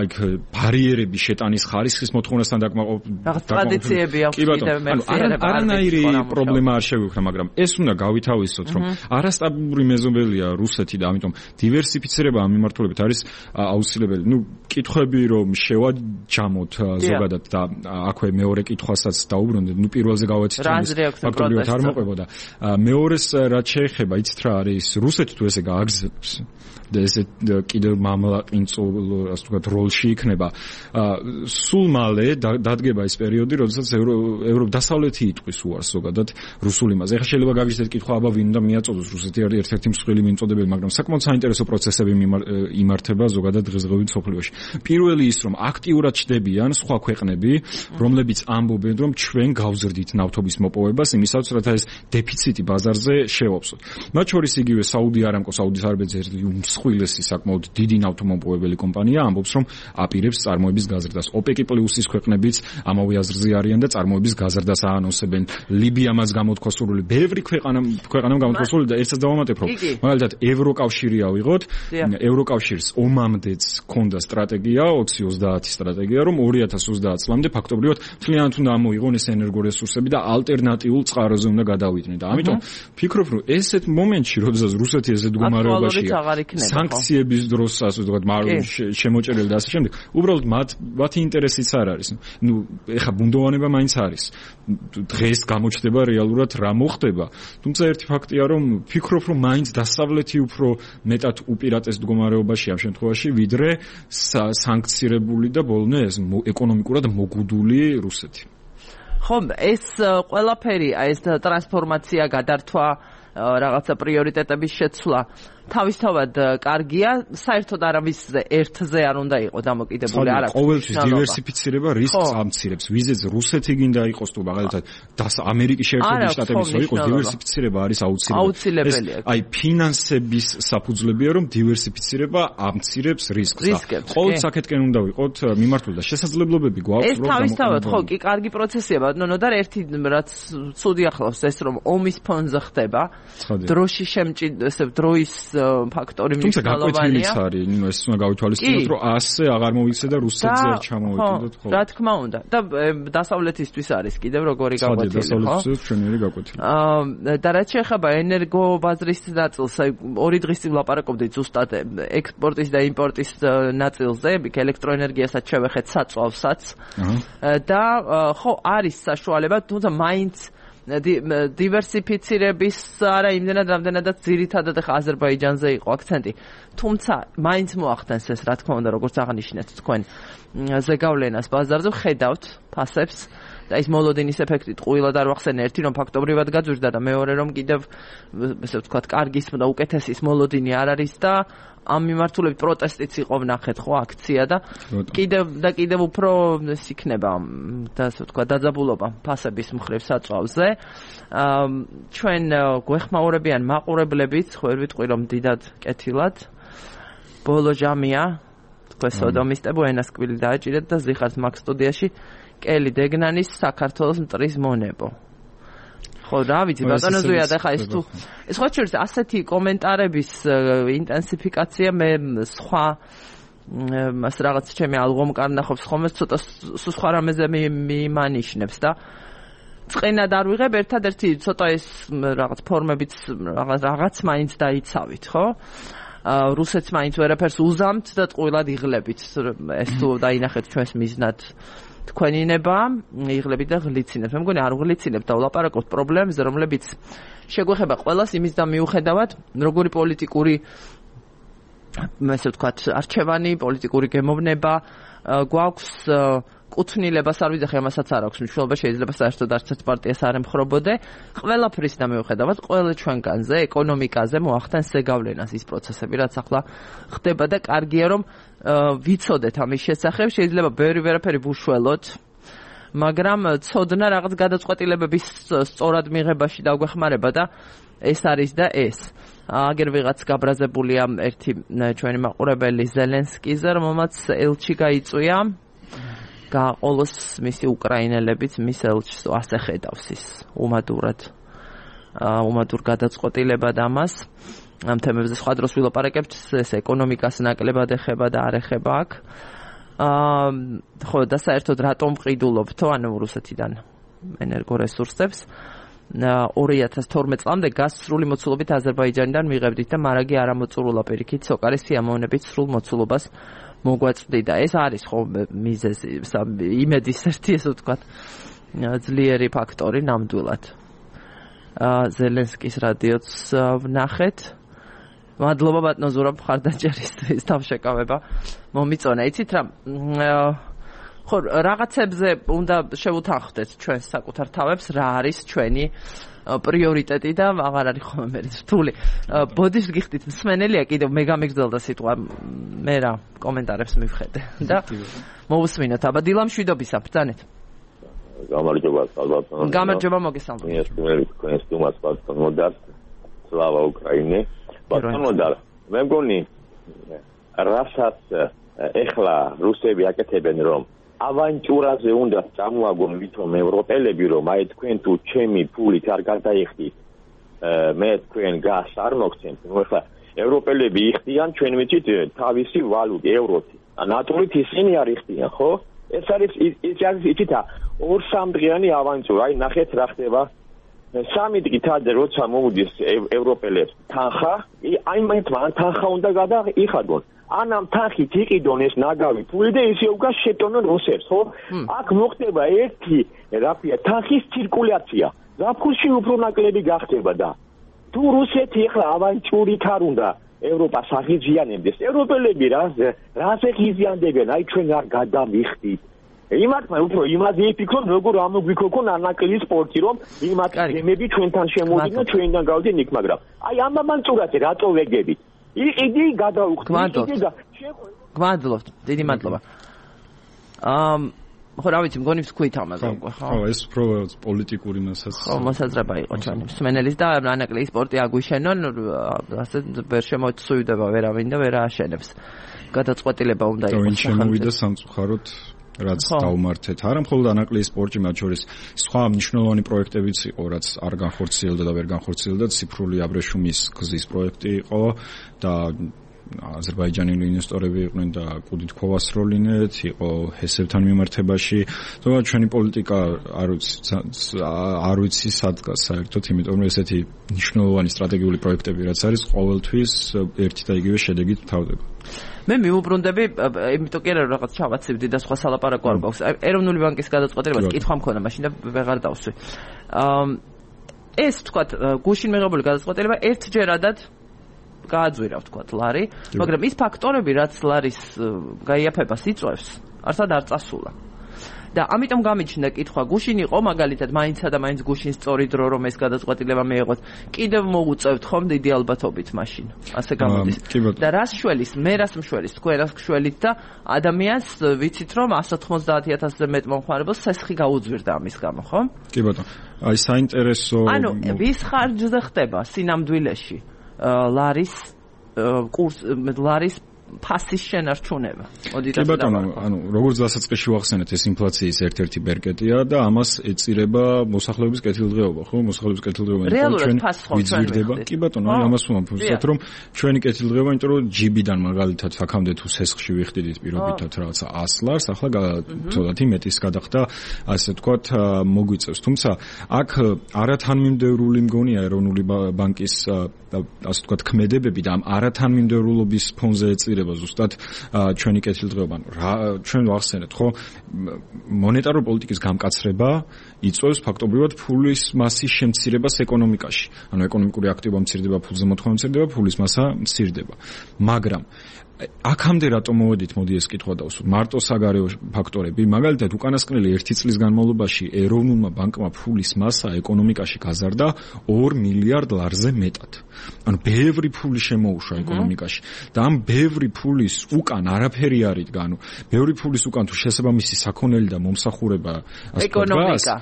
იქ ბარიერები შეტანის ხარისხის მოთხოვნასთან დაკმაყოფილებით. ტრადიციები აქვს კიდევ მეხსიერება. არანაირი პრობლემა არ შეგვიქმნა, მაგრამ ეს უნდა გავითავისოთ, რომ არასტაბილური მეზობელია რუსეთი. ამიტომ დივერსიფიცირება ამ მიმართულებით არის აუცილებელი. ნუ კითხვები რომ შევაჯამოთ ზოგადად და აქვე მეორე კითხვასაც დაუბრუნდეთ. ნუ პირველზე გავაცით, ფაქტობრივად არ მოყვებოდა. მეორეს რაც შეეხება, იცით რა არის, რუსეთი თუ ესე გააგზავნებს და ესე კიდევ მამლაყინწულ ასე ვთქვათ როლში იქნება. სულ მალე დადგება ეს პერიოდი, როდესაც ევროპა დასავლეთი იტყვის უარს ზოგადად რუსულ იმაზე. ეხლა შეიძლება გაგიჟდეთ კითხვა, აბა ვინ უნდა მიაწოდოს? რუსეთი არის ერთ-ერთი მსხვილი მიმწოდებელი, მაგრამ საკმაოდ საინტერესო პროცესები იმართება ზოგადად დღესდღეობით მსოფლიოში. პირველი ის, რომ აქტიურად ჩდებიან სხვა ქვეყნები, რომლებიც ამბობენ, რომ ჩვენ გავზრდით ნავთობის მოპოვებას იმისათვის, რათა ეს დეფიციტი ბაზარზე შევავსოთ. მათ შორის იგივე საუდი არამკო, საუდის არაბეთზე ერთი უმსხვილესი საკმაოდ დიდი ნავთობმოპოვებელი კომპანია ამბობს, რომ აპირებს წარმოების გაზრდას. ოპეკი პლუსის ქვეყნებიც ამავე აზრზე არიან და წარმოების გაზრდას აანონსებენ. ლიბია მას გამოთქვა სურვილი, ბევრი ქვეყანა ქვეყანამ გამოთქვა სურვილი და ერთსაც დავამატებ, რომ მაგალითად ევროკავშირი ავიღოთ, ევროკავშირს ომამდეც ჰქონდა სტრატეგია, ოცი ოცდაათი სტრატეგია, რომ ორი ათას ოცდაათ წლამდე ფაქტობრივად მთლიანად უნდა ამოიღონ ეს ენერგორესურსები და ალტერნატიულ წყაროზე უნდა გადავიდნენ. და ამიტომ ფიქრობ, რომ ესეთ მომენტში, როდესაც რუსეთი ესეთ მდგომარეობაშია, სანქციების დროს, ასე ვთქვათ, შემოჭერილი და ასე შემდეგ, უბრალოდ მათ მათი ინტერესიც არ არის. ნუ ეხა ბუნდოვანება მაინც არის. დღეს გამოჩნდება რეალურად რა მოხდება. თუმცა ერთი ფაქტია, რომ ფიქრობ, რომ მაინც დასავლეთი უფრო მეტად უპირატეს მდგომარეობაში ამ შემთხვევაში, ვიდრე სანქცირებული და ბოლნე ეს ეკონომიკურად მოგუდული რუსეთი. ხო, ეს ყველაფერი, ეს ტრანსფორმაცია, გადართვა, რაღაცა პრიორიტეტების შეცვლა თავისთავად კარგია, საერთოდ არავის ერთზე არ უნდა იყოს დამოკიდებული, არ აქვს. ყოველთვის დივერსიფიცირება რისკს ამცირებს. ვიზეც რუსეთი გინდა იყოს თუ მაგალითად ამერიკის შეერთებული შტატების იყოს, დივერსიფიცირება არის აუცილებელი. აი ფინანსების საფუძვლებია, რომ დივერსიფიცირება ამცირებს რისკს. ყოველ საკეთკენ უნდა ვიყოთ მიმართული და შესაძლებლობები გვაქვს, რომ ეს თავისთავად ხო კი კარგი პროცესია, ბატონო და ერთი რაც ცუდი ახლავს ეს, რომ ომის ფონზე ხდება, დროში შემჭირდება, ესე დროის ფაქტორი მნიშვნელოვანია. თუმცა გაკვეთილიც არის, ნუ ეს უნდა გავითვალისწინოთ, რომ ასე აღარ მოვიქცე და რუსეთზე არ ჩამოვიდოთ, ხო. რა თქმა უნდა. და დასავლეთისთვის არის კიდევ როგორი გაკვეთილი, ხო? დასავლეთისთვის ჩვენერი გაკვეთილი. აა და რაც შეეხება ენერგობაზრის ნაწილს, აი ორი დღის წინ ვლაპარაკობდით ზუსტად ექსპორტის და იმპორტის ნაწილზე, იქ ელექტროენერგიასაც შევეხეთ, საწვავსაც. და ხო არის საშუალება, თუმცა მაინც დივერსიფიცირების არა იმდენად რამდენადაც ძირითადად ახლა აზერბაიჯანზე იყო აქცენტი. თუმცა მაინც მოახდენს ეს, რა თქმა უნდა, როგორც აღნიშნეთ თქვენ ზეგავლენას ბაზარზე, ხედავთ ფასებს და ის მოლოდინის ეფექტი ტყუილად არ ვახსენე, ერთი რომ ფაქტობრივად გაძვირდა და მეორე რომ კიდევ ესე ვთქვათ, კარგის და უკეთესის მოლოდინი არ არის და ამ მიმართულებით პროტესტიც იყო ვნახეთ, ხო, აქცია და კიდევ და კიდევ უფრო ეს იქნება და ასე ვთქვათ, დაძაბულობა ფასების მხრივ საწვავზე. ჩვენ გვეხმაურებიან მაყურებლებიც, ხო ვერ ვიტყვი რომ დიდად კეთილად. ბოლო ჟამია, თქვენ სოდომისტებო ენასკვილი დააჭირეთ და ზიხართ მაგ სტუდიაში კელი დეგნანის საქართველოს მტრის მონებო. ხო, რა ვიცი, ბატონო ზუიად, ახლა ეს თუ ეს ხო შეიძლება ასეთი კომენტარების ინტენსიფიკაცია მე სხვა მას რაღაც ჩემი ალღომკარ ნახობს ხოლმე ცოტა სხვა რამეზე მიმანიშნებს და წენად არ ვიღებ ერთადერთი ცოტა ეს რაღაც ფორმებიც რაღაც რაღაც მაინც დაიცავით, ხო? რუსეთს მაინც ვერაფერს უზამთ და ტყუილად იღლებით. ეს თუ დაინახეთ ჩვენს მიზნად თქვენინება, იღლებით და ღლიცინებთ. მე მგონი არ ღლიცინებთ და ვლაპარაკობთ პრობლემებზე, რომლებიც შეგვეხება ყველას იმის და მიუხედავად, როგორი პოლიტიკური ესე ვთქვათ, არჩევანი, პოლიტიკური გემოვნება გვაქვს კუთვნილებას არ ვიძახი, ამასაც არ აქვს მნიშვნელობა, შეიძლება საერთოდ არც ერთ პარტიას არ ემხრობოდე. ყველაფრის და მიუხედავად, ყველა ჩვენგანზე, ეკონომიკაზე მოახდენს ზეგავლენას ის პროცესები, რაც ახლა ხდება და კარგია რომ ვიცოდეთ ამის შესახებ, შეიძლება ბევრი ვერაფერი ვუშველოთ, მაგრამ ცოდნა რაღაც გადაწყვეტილებების სწორად მიღებაში დაგვეხმარება და ეს არის და ეს. აგერ ვიღაც გაბრაზებულია ერთი ჩვენი მაყურებელი ზელენსკიზე, რომელმაც ელჩი გაიწვია გაყოლოს მისი უკრაინელებიც მის ელჩს ასე ხედავს ის უმადურად უმადურ გადაწყვეტილება და ამას ამ თემებზე სხვა დროს ვილაპარაკებთ ეს ეკონომიკას ნაკლებად ეხება და არ ეხება აქ აა ხო და საერთოდ რატომ ყიდულობთო ანუ რუსეთიდან ენერგორესურსებს ორი ათას თორმეტ წლამდე გაზს სრული მოცულობით აზერბაიჯანიდან მიღებდით და მარაგი არამოწურულა პირიქით სოკარის სიამოვნებით სრულ მოცულობას მოგვაწვდი და ეს არის ხო მიზეზი იმედის ერთი ესე ვთქვათ ძლიერი ფაქტორი ნამდვილად ზელენსკის რადიოც ვნახეთ მადლობა ბატონო ზურაბ მხარდაჭერისთვის თავშეკავება მომიწონა იცით რა ხო რაღაცებზე უნდა შევუთანხმდეთ ჩვენ საკუთარ თავებს რა არის ჩვენი პრიორიტეტი და აღარ არის ხოლმე მე რთული ბოდიშს გიხდით მსმენელია კიდევ მე გამიგრძელდა სიტყვა მე რა კომენტარებს მივხედე და მოусმინოთ აბა დილა მშვიდობისა ბრძანეთ გამარჯობა ალბათ გამარჯობა მოგესალმებით ეს პირველი თქვენს თუმას ბატონ მოდარ სლავა უკრაინე ბატონ მოდარ მე მგონი რასაც ეხლა რუსები აკეთებენ რომ ავანტურაზე უნდა წამოაგონ ვითომ ევროპელები რომ აი თქვენ თუ ჩემი ფულით არ გადაიხდით მე თქვენ გას არ მოგცემთ ნუ ახლა ევროპელები იხდიან ჩვენ ვიცით თავისი ვალუტი ევროთი ნატურით ისინი არ იხდიან ხო ეს არის ის არის იცით ორ სამდღიანი ავანტურა აი ნახეთ რა ხდება სამი დღით ადრე როცა მოუდის ევროპელებს თანხა აი მაინც მან თანხა უნდა გადაიხადონ ანამ თანხით იყიდონ ეს ნაგავი ფული და ისე უკვე შეტონონ რუსებს ხო აქ მოხდება ერთი რაფია თანხის ცირკულაცია ზაფხულში უფრო ნაკლები გახდება და თუ რუსეთი ახლა ავანტურით არ უნდა ევროპას აღიზიანებდეს ევროპელები რა რაზე ღიზიანდებენ აი ჩვენ არ გადამიხდით იმათმა უფრო იმაზე იფიქრონ როგორ ამოგვიქოქონ ანაკლის სპორტი რომ იმათ გემები ჩვენთან შემოვიდნენ ჩვენიდან გავდნენ იქ მაგრამ აი ამ ავანტურაზე რატო ვეგებით იგი გადაუხდით იგი და გმადლობთ დიდი მადლობა ამ ხო რა ვიცი მგონი ვთქვით ამაზე უკვე ხო ხო ეს უფრო პოლიტიკური მასაც ხო მოსაზრება იყო ჩვენი მსმენელის და ანაკლის სპორტი აგვიშენონ ასე ვერ შემოწუვდება ვერავინ და ვერ ააშენებს გადაწყვეტილება უნდა იყოს ხო შემოვიდა სამწუხაროდ რაც დაუმართეთ არა მხოლოდ ანაკლის სპორტი მათ შორის სხვა მნიშვნელოვანი პროექტებიც იყო რაც არ განხორციელდა და ვერ განხორციელდა ციფრული აბრეშუმის გზის პროექტი იყო და აზერბაიჯანელი ინვესტორები იყვნენ და კუდით ქვასროლინეთ იყო ჰესებთან მიმართებაში თუმცა ჩვენი პოლიტიკა არ ვიცი არ ვიცი სადგას საერთოდ იმიტომ რომ ესეთი მნიშვნელოვანი სტრატეგიული პროექტები რაც არის ყოველთვის ერთი და იგივე შედეგით თავდება მე მიუბრუნდები იმიტომ კი არა რაღაც ჩავაცებდი და სხვა სალაპარაკო არ გვაქვს ეროვნული ბანკის გადაწყვეტილებას კითხვა მქონდა მაშინ და ვეღარ დავსვი ეს თქვათ გუშინ მიღებული გადაწყვეტილება ერთჯერადად გააძვირა ვთქვათ ლარი მაგრამ ის ფაქტორები რაც ლარის გაიაფებას იწვევს არსად არ წასულა და ამიტომ გამიჩნდა კითხვა გუშინ იყო მაგალითად მაინცსა და მაინც გუშინ სწორი დრო რომ ეს გადაწყვეტილება მიიღოს კიდევ მოუწევთ ხომ დიდი ალბათობით მაშინ ასე გამოდის და რას შველის მე რას მშველის თქვენ რას გშველით და ადამიანს ვიცით რომ one hundred ninety thousand-ზე მეტ მომხმარებელს სესხი გაუძვირდა ამის გამო ხო კი ბატონო აი საინტერესო ანუ ვის ხარჯზე ხდება სინამდვილეში ლარის კურს ლარის ფასის შენარჩუნება. კი ბატონო, ანუ როგორც დასაწყისში ვახსენეთ, ეს ინფლაციის ერთ-ერთი ბერკეტია და ამას ეწირება მოსახლეობის კეთილდღეობა, ხო? მოსახლეობის კეთილდღეობა, ჩვენ ვიძვირდება. კი ბატონო, აი ამას ვამბობთ, რომ ჩვენი კეთილდღეობა, იმიტომ რომ ჯიბიდან მაგალითად აქამდე თუ სესხში ვიხდიდით პირობითად რაღაცა ას ლარს, ახლა ცოტათი მეტის გადახდა, ასე ვთქვათ, მოგვიწევს. თუმცა აქ არათანმიმდევრული მგონია ეროვნული ბანკის ასე ვთქვათ ქმედებები და ამ არათანმიმდევრულობის ფონზე ეწირება ზუსტად ჩვენი კეთილდღეობა. ჩვენ ვახსენეთ, ხო, მონეტარული პოლიტიკის გამკაცრება იწვევს ფაქტობრივად ფულის მასის შემცირებას ეკონომიკაში. ანუ ეკონომიკური აქტივობა მცირდება, ფულზე მოთხოვნა მცირდება, ფულის მასა მცირდება. მაგრამ აქამდე რატომ მოვედით, მოდი ეს კითხვა დავსვათ. მარტო საგარეო ფაქტორები, მაგალითად, უკანასკნელი ერთი წლის განმავლობაში ეროვნულმა ბანკმა ფულის მასა ეკონომიკაში გაზარდა ორ მილიარდ ლარზე მეტად. ანუ ბევრი ფული შემოუშვა ეკონომიკაში და ამ ბევრი ფულის უკან არაფერი არ იდგა. ანუ ბევრი ფულის უკან თუ შესაბამისი საქონელი და მომსახურება ეკონომიკა,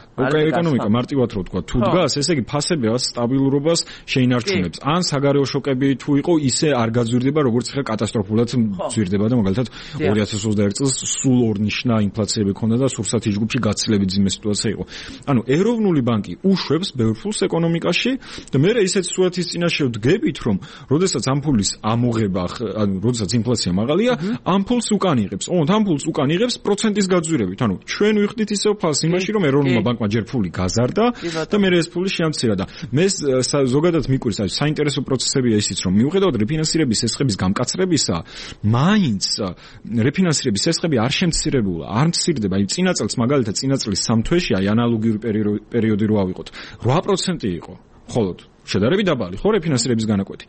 ეკონომიკა მარტივად რო ვთქვა, თუ დგას, ესე იგი ფასებას, სტაბილურობას შეინარჩუნებს. ან საგარეო შოკები თუ იყო, ისე არ გაძვირდება, როგორც ხა კატასტროფულად ძვირდება და მაგალითად ორი ათას ოცდაერთი წელს სულ ორნიშნა ინფლაციები ჰქონდა და სურსათი ჯგუფში გაცილებით ძიმე სიტუაცია იყო. ანუ ეროვნული ბანკი უშვებს ბევრ ფულს ეკონომიკაში და მე ისეთ სურათის წინაშე ვდგებით, რომ როდესაც ამ ფულის ამოღება, ანუ როდესაც ინფლაცია მაღალია, ამ ფულს უკან იღებს. ოღონდ ამ ფულს უკან იღებს პროცენტის გაძვირებით. ანუ ჩვენ ვიხდით ისევ ფასს იმაში, რომ ეროვნულმა ბანკმა ჯერ ფული გაზარდა და მე ეს ფული შეამცირა და მე ზოგადად მიკვირს, აი საინტერესო პროცესებია ისიც, რომ მიუხედავად რეფინანსირების ესხების გამკაცრებისა, მაინც რეფინანსირების ესხები არ შემცირებულა, არ მცირდება. აი წინა წელს მაგალითად წინა წლის სამ თვეში აი ანალოგიური პერიოდი რო ავიღოთ, რვა პროცენტი იყო. მხოლოდ შედარებით დაბალი ხო რეფინანსირების განაკვეთი.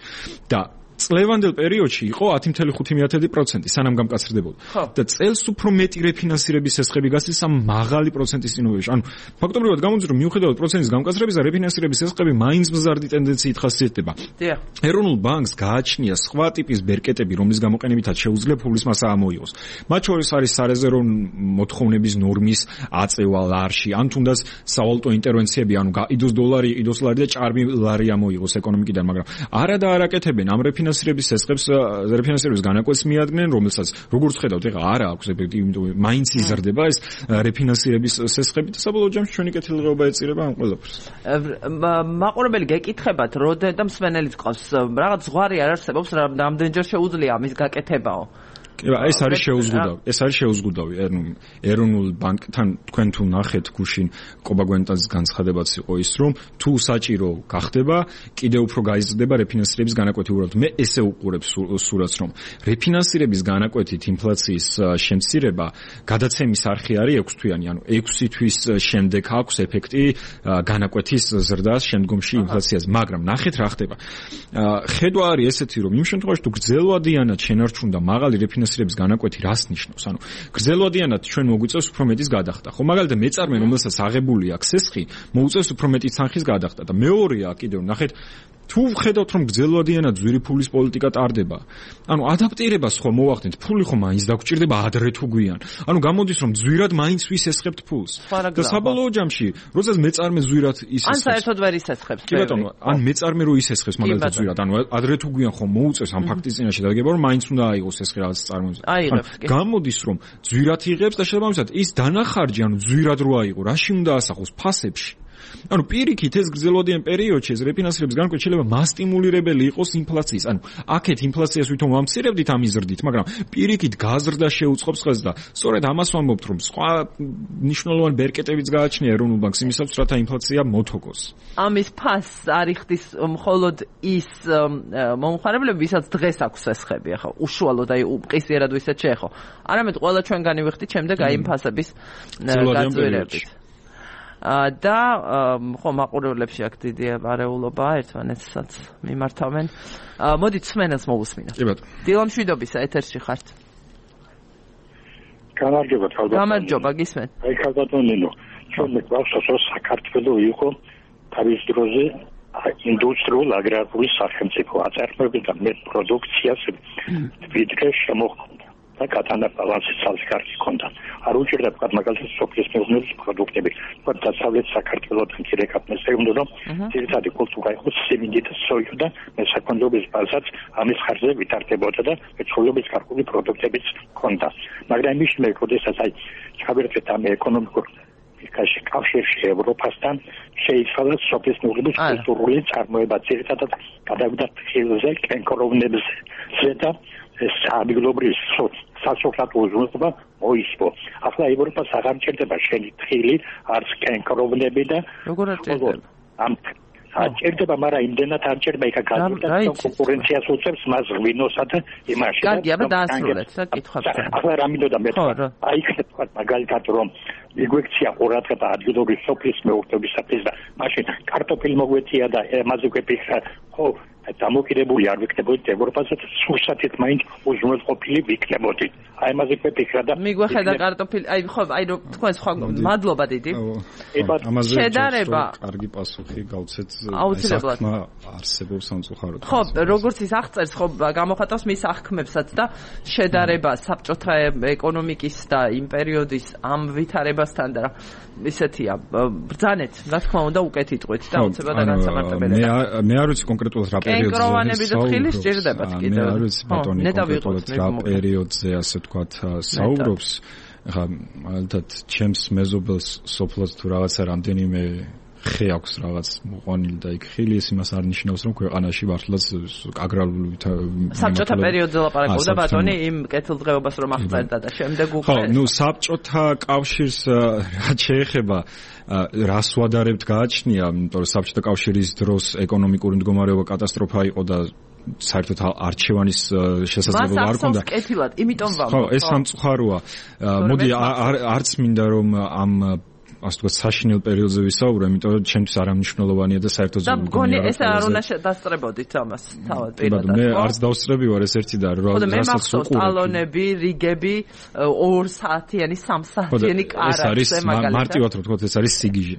და წლევანდელ პერიოდში იყო ათი კoma ხუთი პროცენტი სანამ გამკაცრდებოდა. და წელს უფრო მეტი რეფინანსირების ესხები გასცეს ამ მაღალი პროცენტის წინობაში. ანუ ფაქტობრივად გამოდის, რომ მიუხედავად პროცენტის გამკაცრების და რეფინანსირების ესხები მაინც მზარდი ტენდენციით ხასიათდება. ეროვნულ ბანკს გააჩნია სხვა ტიპის ბერკეტები, რომლის გამოყენებითაც შეუძლია ფულის მასა ამოიღოს. მათ შორის არის სარეზერვო მოთხოვნების ნორმის აწევა ლარში, ან თუნდაც სავალუტო ინტერვენციები, ანუ გაიდოს დოლარი, იყიდოს ლარი და ჭარბი ლარი ამოიღოს ეკონომიკიდან, მაგრამ არა და არაკეთებენ ამ რეფინანსირების ესხებს, რეფინანსირების განაკვეთს მიადგენენ, რომელსაც როგორც ხედავთ, ეხლა არა აქვს ეფექტი, იმიტომ მაინც იზრდება ეს რეფინანსირების ესხები და საბოლოო ჯამში ჩვენი კეთილდღეობა ეწირება ამ ყველაფერს. მაყურებელი გეკითხებათ, როდე და მსმენელიც ყავს, რაღაც ზღვარი არ არსებობს, რამდენჯერ შეუძლია ამის გაკეთებაო. ეს არის შეუზღუდავი, ეს არის შეუზღუდავი ეროვნულ ბანკთან. თქვენ თუ ნახეთ გუშინ კობაგვენტაძის განცხადებაც იყო ის, რომ თუ საჭირო გახდება, კიდევ უფრო გაიზრდება რეფინანსირების განაკვეთი. უბრალოდ მე ესე უყურებ სურათს, რომ რეფინანსირების განაკვეთით ინფლაციის შემცირება გადაცემის არხი არის ექვს თვიანი, ანუ ექვსი თვის შემდეგ აქვს ეფექტი განაკვეთის ზრდას შემდგომში ინფლაციაზე. მაგრამ ნახეთ რა ხდება. ხედვა არის ესეთი, რომ იმ შემთხვევაში თუ გრძელვადიანად შენარჩუნდა მაღალი რეფინანსირების რეფინანსირების განაკვეთი რას ნიშნავს? ანუ გრძელვადიანად ჩვენ მოგვიწევს უფრო მეტის გადახდა. ხო, მაგალითად მეწარმე, რომელსაც აღებული აქვს სესხი, მოუწევს უფრო მეტი თანხის გადახდა და მეორეა კიდევ ნახეთ, თუ ვხედავთ, რომ გრძელვადიანად ძვირი ფულის პოლიტიკა ტარდება, ანუ ადაპტირებას ხო მოვახდენთ, ფული ხო მაინც დაგჭირდება ადრე თუ გვიან. ანუ გამოდის, რომ ძვირად მაინც ვისესხებთ ფულს. და საბოლოო ჯამში, როდესაც მეწარმე ძვირად ისესხებს. ან საერთოდ ვერ ისესხებს. კი ბატონო, ან მეწარმე რო ისესხებს მაგალითად ძვირად, ანუ ადრე თუ გვიან ხო მოუწევს ამ ფაქტის წინაშე დაგება, რომ მაინც უნდა აიღოს ესხი რაღაც წარმოების. გამოდის, რომ ძვირად იღებს და შესაბამისად ის დანახარჯი, ანუ ძვირად რო აიღო, რაში უნდა ასახოს ფასებში. ანუ პირიქით ეს გრძელვადიან პერიოდში ეს რეფინანსირების განაკვეთი შეიძლება მასტიმულირებელი იყოს ინფლაციის. ანუ აქეთ ინფლაციას ვითომ ვამცირებდით ამ იზრდით, მაგრამ პირიქით გაზრდა შეუწყობს ხელს და სწორედ ამას ვამბობთ, რომ სხვა მნიშვნელოვანი ბერკეტებიც გააჩნია ეროვნულ ბანკს იმისათვის, რათა ინფლაცია მოთოგოს. ამის ფასს არ იხდის მხოლოდ ის მომხმარებლები, ვისაც დღეს აქვს ესხები, ახლა უშუალოდ აი უყისიერად ვისაც შეეხო. არამედ ყველა ჩვენგანი ვიხდით შემდეგ აი იმ ფასების გაძვირებით. და ხო მაყურებლებში აქ დიდი არეულობა ერთმანეთსაც მიმართავენ. მოდით სმენელს მოვუსმინოთ. კი ბატონო. დილამშვიდობისა ეთერში ხართ. გამარჯობა თავდა. გამარჯობა გისმენთ. აი ქალბატონინო, ჩვენ გვაქვს რომ საქართველოს იყო თავის დროზე ინდუსტრიულ აგრარული სახელმწიფო აწარმოებდა მეტ პროდუქციას ვიდრე შემოხდა და კატანა ბალანსი ცალკე კარგი ჰქონდა. არ უჭირდა თქვა მაგალითად სოფლის მეურნეობის პროდუქტები. თქვა დასავლეთ საქართველოს მცირე კაპნეს ეუბნება რომ ძირითადი კულტურა იყო სიმინდი და სოია და მესაქონლეობის ბაზაც ამის ხარჯზე ვითარდებოდა და მეცხოველეობის გარკვეული პროდუქტებიც ჰქონდა. მაგრამ მის შემდეგ, როდესაც აი ჩავერთეთ ამ ეკონომიკურ კაში კავშირში ევროპასთან შეიცვალა სოფლის მეურნეობის კულტურული წარმოება ძირითადად გადავიდა ხილზე, კენკროვნებზე და საადვილობრივ სასოფლო უზრუნველყოფა მოისპო. ახლა ევროპას აღარ ჭირდება შენი თხილი, არც კენკროვნები და როგორ არ ჭირდება? ამ აჭირდება, მაგრამ იმდენად არ ჭირდება, იქა გადავიდა კონკურენციას უწევს მას ღვინოსა და იმაში. კარგი, აბა დაასრულეთ, რა კითხვა. ახლა რა მინდოდა მე აი ხეთ მაგალითად რომ მიგვექცია ყურადღება ადგილობრივ სოფლის მეურნეობისათვის და მაშინ კარტოფილი მოგვეცია და ამაზე გვეფიქრა ხო დამოკიდებული არ ვიქნებოდით ევროპაზე სურსათით მაინც უზრუნველყოფილი ვიქნებოდით. აი ამაზე გვეფიქრა და მიგვეხედა კარტოფილი, აი ხო, აი რო თქვენ სხვა მადლობა დიდი. ამაზე შედარება კარგი პასუხი გავცეთ აუცილებლად არსებობს სამწუხაროდ. ხო, როგორც ის აღწერს, ხო, გამოხატავს მის აღქმებსაც და შედარება საბჭოთა ეკონომიკის და იმ პერიოდის ამ ვითარებასთან და ისეთია, ბრძანეთ, რა თქმა უნდა, უკეთ იტყვით და აუცილებლად განსამარტებელი. მე მე არ ვიცი კონკრეტულად რა პერიოდზე კენკროვანები და თხილი სჭირდებათ კიდევ. მე არ ვიცი ბატონი კონკრეტულად რა პერიოდზე ასე თქვათ საუბრობს. ხა მაგალითად ჩემს მეზობელს სოფლად თუ რაღაცა რამდენიმე ხე აქვს რაღაც მოყვანილი და იქ ხილი ეს იმას არ ნიშნავს რომ ქვეყანაში მართლაც აგრარული საბჭოთა პერიოდზე ლაპარაკობდა ბატონი იმ კეთილდღეობას რომ აღწერდა და შემდეგ უკვე ხო ნუ საბჭოთა კავშირს რაც შეეხება რას ვადარებთ გააჩნია იმიტომ რომ საბჭოთა კავშირის დროს ეკონომიკური მდგომარეობა კატასტროფა იყო და საერთოდ არჩევანის შესაძლებლობა არ ჰქონდა. მას კეთილად, იმიტომ ვამბობ. ხო, ეს სამწუხაროა. მოდი არც მინდა რომ ამ ასე ვთქვათ საშინელ პერიოდზე ვისაუბრე, იმიტომ რომ ჩემთვის არამნიშვნელოვანია და საერთოდ და მგონი ეს არ უნდა დასწრებოდით ამას თავად პირადად. მე არც დავსწრები ვარ ეს ერთი და რასაც უყურებ. ტალონები, რიგები, ორ საათიანი, სამ საათიანი კარაქს მაგალითად. მარტივად რომ ვთქვათ, ეს არის სიგიჟე.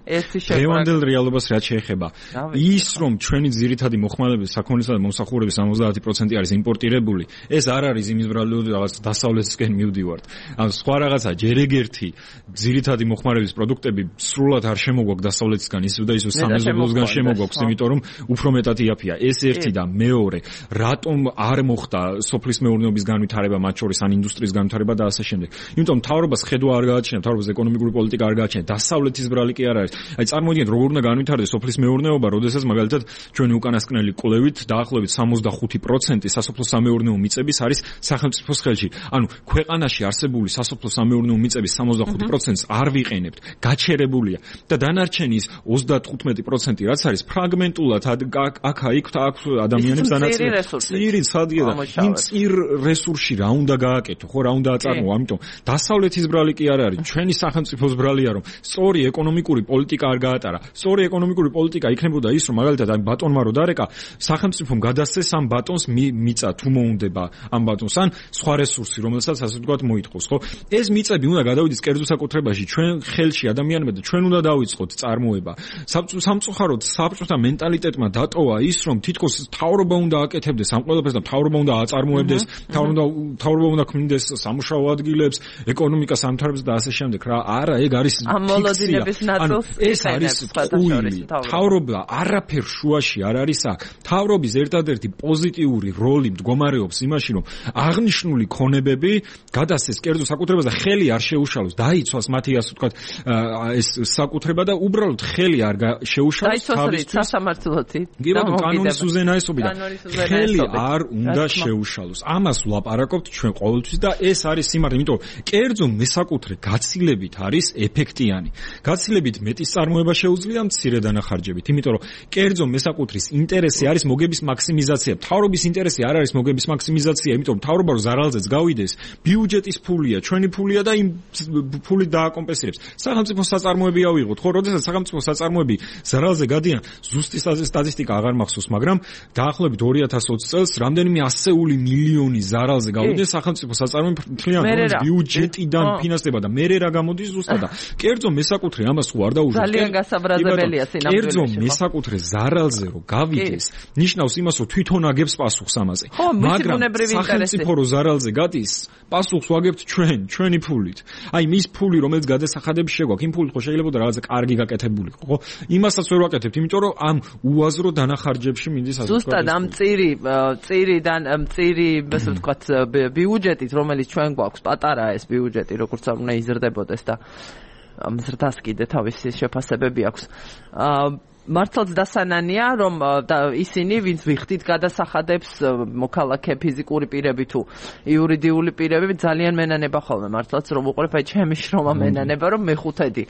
დღევანდელ რეალობას რაც შეეხება, ის რომ ჩვენი ძირითადი მოხმარებების საქონლისა და მომსახურების ორმოცდაათი პროცენტი არის იმპორტირებული, ეს არ არის იმის ბრალდებით რაღაც დასავლეთისკენ მივდივართ. ან სხვა რაღაცა ჯერ ეგერთი ძირითადი მოხმარების პროდუქტები სრულად არ შემოგვაქვს დასავლეთისგან ის და ის სამეზობლოსგან შემოგვაქვს, იმიტომ რომ უფრო მეტად იაფია. ეს ერთი და მეორე, რატომ არ მოხდა სოფლის მეურნეობის განვითარება, მათ შორის ან ინდუსტრიის განვითარება და ასე შემდეგ. იმიტომ მთავრობას ხედვა არ გააჩნია, მთავრობას ეკონომიკური პოლიტიკა არ გააჩნია, დასავლეთის ბრალი კი არ არის. აი წარმოვიდგინეთ როგორ უნდა განვითარდეს სოფლის მეურნეობა, როდესაც მაგალითად ჩვენი უკანასკნელი კვლევით დაახლოებით სამოცდახუთი პროცენტი სასოფლო-სამეურნეო მიწების არის სახელმწიფოს ხელში. ანუ ქვეყანაში არსებული სასოფლო-სამეურნეო მიწების სამოცდახუთი პროცენტს არ ვიყენებთ. გაჩერებულია და დანარჩენის ოცდათხუთმეტი პროცენტი რაც არის ფრაგმენტულად აქა იქ და აქ ადამიანებს დანაწილება წირი სადია და იმ წირ რესურსში რა უნდა გააკეთო ხო რა უნდა აწარმოო ამიტომ დასავლეთის ბრალი კი არ არის ჩვენი სახელმწიფოს ბრალია რომ სწორი ეკონომიკური პოლიტიკა არ გაატარა სწორი ეკონომიკური პოლიტიკა იქნებოდა ის რომ მაგალითად ამ ბატონმა რო დარეკა სახელმწიფომ გადასცეს ამ ბატონს მიწა თუ მოუნდება ამ ბატონს ან სხვა რესურსი რომელსაც ასე ვთქვათ მოითხოვს ხო ეს მიწები უნდა გადავიდეს კერძო საკუთრებაში ჩვენ ხელში ადამიანებმა და ჩვენ უნდა დავიწყოთ წარმოება. სამწუხაროდ საბჭოთა მენტალიტეტმა დატოვა ის, რომ თითქოს მთავრობა უნდა აკეთებდეს ამ ყველაფერს და მთავრობა უნდა აწარმოებდეს, მთავრობა უნდა ქმნიდეს სამუშაო ადგილებს, ეკონომიკას ამთავრებს და ასე შემდეგ. რა, არა, ეგ არის ამ მოლოდინების ნაწილს ეს არის ტყუილი. მთავრობა არაფერ შუაში არ არის აქ. მთავრობის ერთადერთი პოზიტიური როლი მდგომარეობს იმაში, რომ აღნიშნული ქონებები გადასცეს კერძო საკუთრებას და ხელი არ შეუშალოს, დაიცვას მათი ასე ვთქვათ ეს საკუთრება და უბრალოდ ხელი არ შეუშალოს თავისთვის სასამართლოთი. კი ბატონო, კანონის უზენაესობი და ხელი არ უნდა შეუშალოს. ამას ვლაპარაკობთ ჩვენ ყოველთვის და ეს არის სიმართლე, იმიტომ კერძო მესაკუთრე გაცილებით არის ეფექტიანი. გაცილებით მეტი წარმოება შეუძლია მცირე დანახარჯებით, იმიტომ რომ კერძო მესაკუთრის ინტერესი არის მოგების მაქსიმიზაცია. მთავრობის ინტერესი არ არის მოგების მაქსიმიზაცია, იმიტომ მთავრობა რო ზარალზეც გავიდეს, ბიუჯეტის ფულია, ჩვენი ფულია და იმ ფულით დააკომპენსირებს. სახელმწიფო საწარმოები ავიღოთ, ხო, როდესაც სახელმწიფო საწარმოები ზარალზე გადიან, ზუსტი სტატისტიკა აღარ მახსოვს, მაგრამ დაახლოებით ორი ათას ოცი წელს რამდენიმე ასეული მილიონი ზარალზე გავიდეს სახელმწიფო საწარმოები მთლიან ბიუჯეტიდან ფინანსდება და მერე რა გამოდის ზუსტად და კერძო მესაკუთრე ამას თუ არ დაუშვათ. ძალიან გასაბრაზებელია სინამდვილეში. კერძო მესაკუთრე ზარალზე რო გავიდეს, ნიშნავს იმას, რომ თვითონ აგებს პასუხს ამაზე. მაგრამ სახელმწიფო რო ზარალზე გადის, პასუხს ვაგებთ ჩვენ, ჩვენი ფულით. აი მის ფული, რომელიც გადასახადებს შეგვაქვს, იმ ფულით ხო შეიძლება და რაღაცა კარგი გაკეთებულიყო, ხო? იმასაც ვერ ვაკეთებთ, იმიტომ რომ ამ უაზრო დანახარჯებში მინდის ასე ვთქვათ. ზუსტად ამ წირი წირიდან წირი, ასე ვთქვათ, ბიუჯეტით, რომელიც ჩვენ გვაქვს, პატარაა ეს ბიუჯეტი, როგორც არ უნდა იზრდებოდეს და ამ ზრდას კიდე თავისი შეფასებები აქვს. მართლაც დასანანია, რომ ისინი, ვინც ვიხდით გადასახადებს მოქალაქე ფიზიკური პირები თუ იურიდიული პირები, ძალიან მენანება ხოლმე მართლაც რომ უყურებ, აი ჩემი შრომა მენანება, რომ მეხუთედი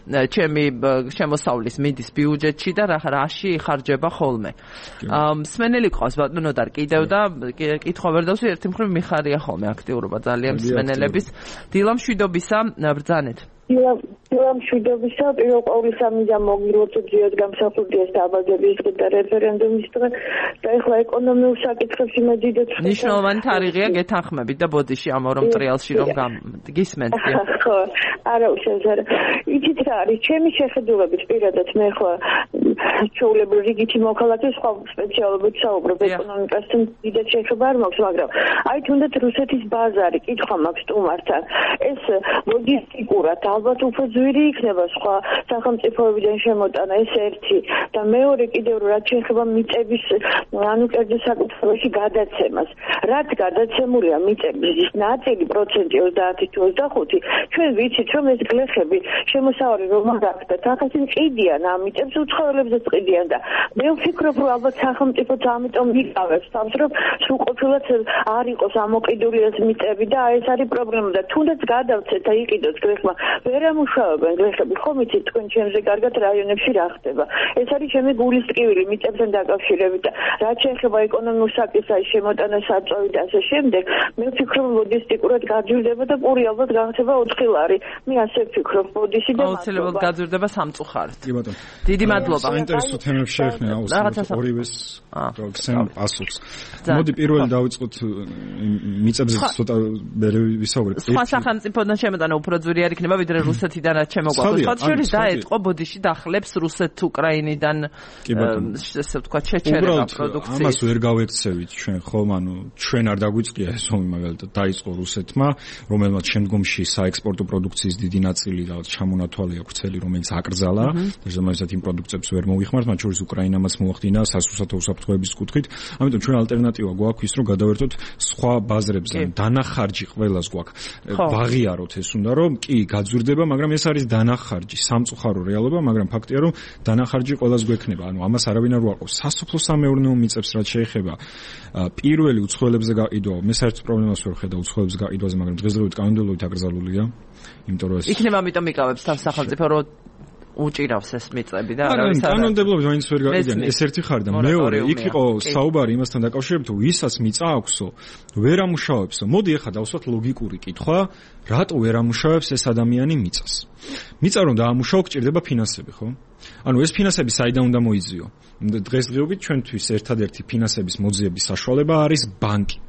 ჩემი შემოსავლის მიდის ბიუჯეტში და რაში იხარჯება ხოლმე. მსმენელი ყავს ბატონო და კიდევ და კითხვა ვერ დავსვი, ერთი მხრივ მიხარია ხოლმე აქტიურობა ძალიან მსმენელების. დილა მშვიდობისა, ბრძანეთ. დილა მშვიდობისა, პირველ ყოვლისა მინდა მოგილოცოთ ძიად გამსახურდია დაბადების დღე და რეფერენდუმის დღე და ეხლა ეკონომიურ საკითხებში მე დიდად ნიშნულოვანი თარიღია გეთანხმებით და ბოდიში ამ ორ მტრიალში რომ გისმენთ. ხო, არა უშევზარა. იცით რა არის, ჩემი შეხედულებით პირადად მე ხო ჩვეულებრივ რიგითი მოქალაქე სხვა სპეციალობით საუბრობ ეკონომიკასთან დიდად შეხება არ მაქვს, მაგრამ აი თუნდაც რუსეთის ბაზარი კითხვა მაქვს სტუმართან. ეს ლოგისტიკურად ალბათ უფრო ძვირი იქნება სხვა სახელმწიფოებიდან შემოტანა, ეს ერთი და მეორე კიდევ რაც შეეხება მიწების ანუ კერძო საკითხებში გადაცემას. რაც გადაცემულია მიწების ნაწილი პროცენტი ოცდაათი თუ ოცდახუთი, ჩვენ ვიცით რომ ეს გლეხები შემოსავალი რომ არ აქვს და თახაში ყიდიან ამ მიწებს უცხოელებზეც ყიდიან და მე ვფიქრობ რომ ალბათ სახელმწიფოც ამიტომ იკავებს თავს რომ სრულყოფილად არ იყოს ამოყიდული ეს მიწები და ეს არის პრობლემა და თუნდაც გადავცეთ და იყიდოთ გლეხმა ვერ ამუშავებენ გლეხები, ხომ იცით თქვენ ჩემზე კარგად რაიონებში რა ხდება. ეს არის ჩემი გულის ტკივილი მიწებთან დაკავშირებით და რაც შეეხება ეკონომიურ საკითხს შემოტანა საწვავი და ასე შემდეგ, მე ვფიქრობ ლოგისტიკურად გაძვირდება და პური ალბათ გახდება ოთხი ლარი. მე ასე ვფიქრობ, ბოდიში და აუცილებლად გაძვირდება სამწუხაროდ. კი ბატონო. დიდი მადლობა. საინტერესო თემებს შეეხნა აუცილებლად ორივეს გაგცემ პასუხს. მოდი პირველი დავიწყოთ მიწებზე ცოტა მერე ვისაუბრეთ. სხვა სახელმწიფოდან შემოტანა უფრო ძვირი არ იქნება ვიდრე რუსეთიდან რაც შემოგვაქვს. სხვა შორის დაეწყო ბოდიში დახლებს რუსეთ-უკრაინიდან ესე ვთქვათ შეჩერება პროდუქციის. ამას ვერ გავექცევით ჩვენ ხომ, ანუ ჩვენ არ დაგვიწყია ეს ომი მაგალითად დაიწყო რუსეთმა, რომელმაც შემდგომში საექსპორტო პროდუქციის დიდი ნაწილი რაღაც ჩამონათვალია ვრცელი, რომელიც აკრძალა და შემოიცათ იმ პროდუქციებს ვერ მოიხმართ, მათ შორის უკრაინამაც მოახდინა სასურსათო უსაფრთხოების კუთხით. ამიტომ ჩვენ ალტერნატივა გვაქვს ის, რომ გადავერთოთ სხვა ბაზრებზე, დანახარჯი ყველას გვაქვს. ვაღიაროთ ეს უნდა რომ კი გაძვირდება, მაგრამ ეს არის დანახარჯი, სამწუხარო რეალობა, მაგრამ ფაქტია რომ დანახარჯი ყველას გვექნება. ანუ ამას არავინ არ უარყოფს. სასოფლო-სამეურნეო მიწებს რაც შეეხება პირველი უცხოელებზე გაყიდვა, მე საერთოდ პრობლემას ვერ ხედავ უცხოელებზე გაყიდვაზე, მაგრამ დღესდღეობით კანონმდებლობით აკრძალულია, იმიტომ რომ ეს იქნება ამიტომ იკავებს თან სახელმწიფო რომ უჭირავს ეს მიწები და არავის არ კანონმდებლობით ვაინც ვერ გაიგენ, ეს ერთი ხარ და მეორე იქ იყო საუბარი იმასთან დაკავშირებით, რომ ვისაც მიწა აქვსო, ვერ ამუშავებსო. მოდი ახლა დავსვათ ლოგიკური კითხვა, რატო ვერ ამუშავებს ეს ადამიანი მიწას? მიწა რომ დაამუშავო, გჭირდება ფინანსები, ხო? ანუ ეს ფინანსები საიდან უნდა მოიძიო? დღესდღეობით ჩვენთვის ერთადერთი ფინანსების მოძიების საშუალება არის ბანკი.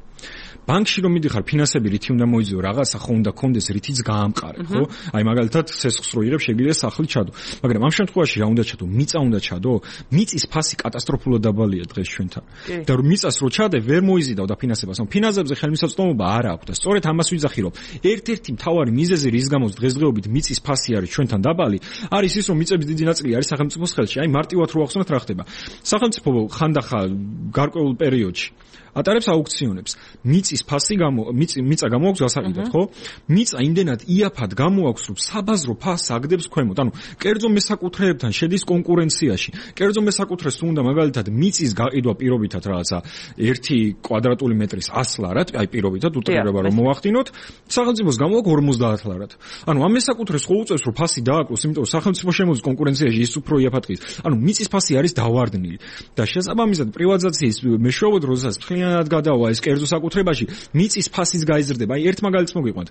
ბანკში რომ მიდიხარ ფინანსები რითი უნდა მოიძიო, რაღაცა ხო უნდა კონდეს რითიც გაამყარე, ხო? აი მაგალითად სესხს რო იღებ შეგიძლია სახლი ჩადო. მაგრამ ამ შემთხვევაში რა უნდა ჩადო? მიწა უნდა ჩადო? მიწის ფასი კატასტროფულად დაბალია დღეს ჩვენთან. და რომ მიწას რო ჩადე, ვერ მოიზიდავ და ფინანსებას. ანუ ფინანსებზე ხელმისაწვდომობა არ აქვს და სწორედ ამას ვიძახი, რომ ერთ-ერთი მთავარი მიზეზი რის გამოც დღესდღეობით მიწის ფასი არის ჩვენთან დაბალი, არის ის, რომ მიწების დიდი ნაწილი არის სახელმწიფოს ხელში. აი მარტივად რო ახსნათ რა ხდება. სახელმწიფო ხანდახან გარკვეულ პერიოდში ატარებს აუქციონებს. მიწის ფასი გამო მიწა გამოაქვს გასაყიდად, ხო? მიწა იმდენად იაფად გამოაქვს, რომ საბაზრო ფასს აგდებს ქვემოთ. ანუ კერძო მესაკუთრეებთან შედის კონკურენციაში. კერძო მესაკუთრეს თუ უნდა მაგალითად მიწის გაყიდვა პირობითად რაღაცა ერთი კვადრატული მეტრის ას ლარად, აი პირობითად უტრირება რომ მოახდინოთ, სახელმწიფოს გამოაქვს ორმოცდაათ ლარად. ანუ ამ მესაკუთრეს ხო უწევს, რომ ფასი დააკლოს, იმიტომ რომ სახელმწიფო შემოდის კონკურენციაში, ის უფრო იაფად ყის. ანუ მიწის ფასი არის დავარდნილი და შესაბამისად პრივატიზაციის მეშვეობით, როდესაც მთლიანად გადავა ეს კერძო საკუთრებაში, მიწის ფასიც გაიზრდება. აი ერთ მაგალითს მოგიყვანთ.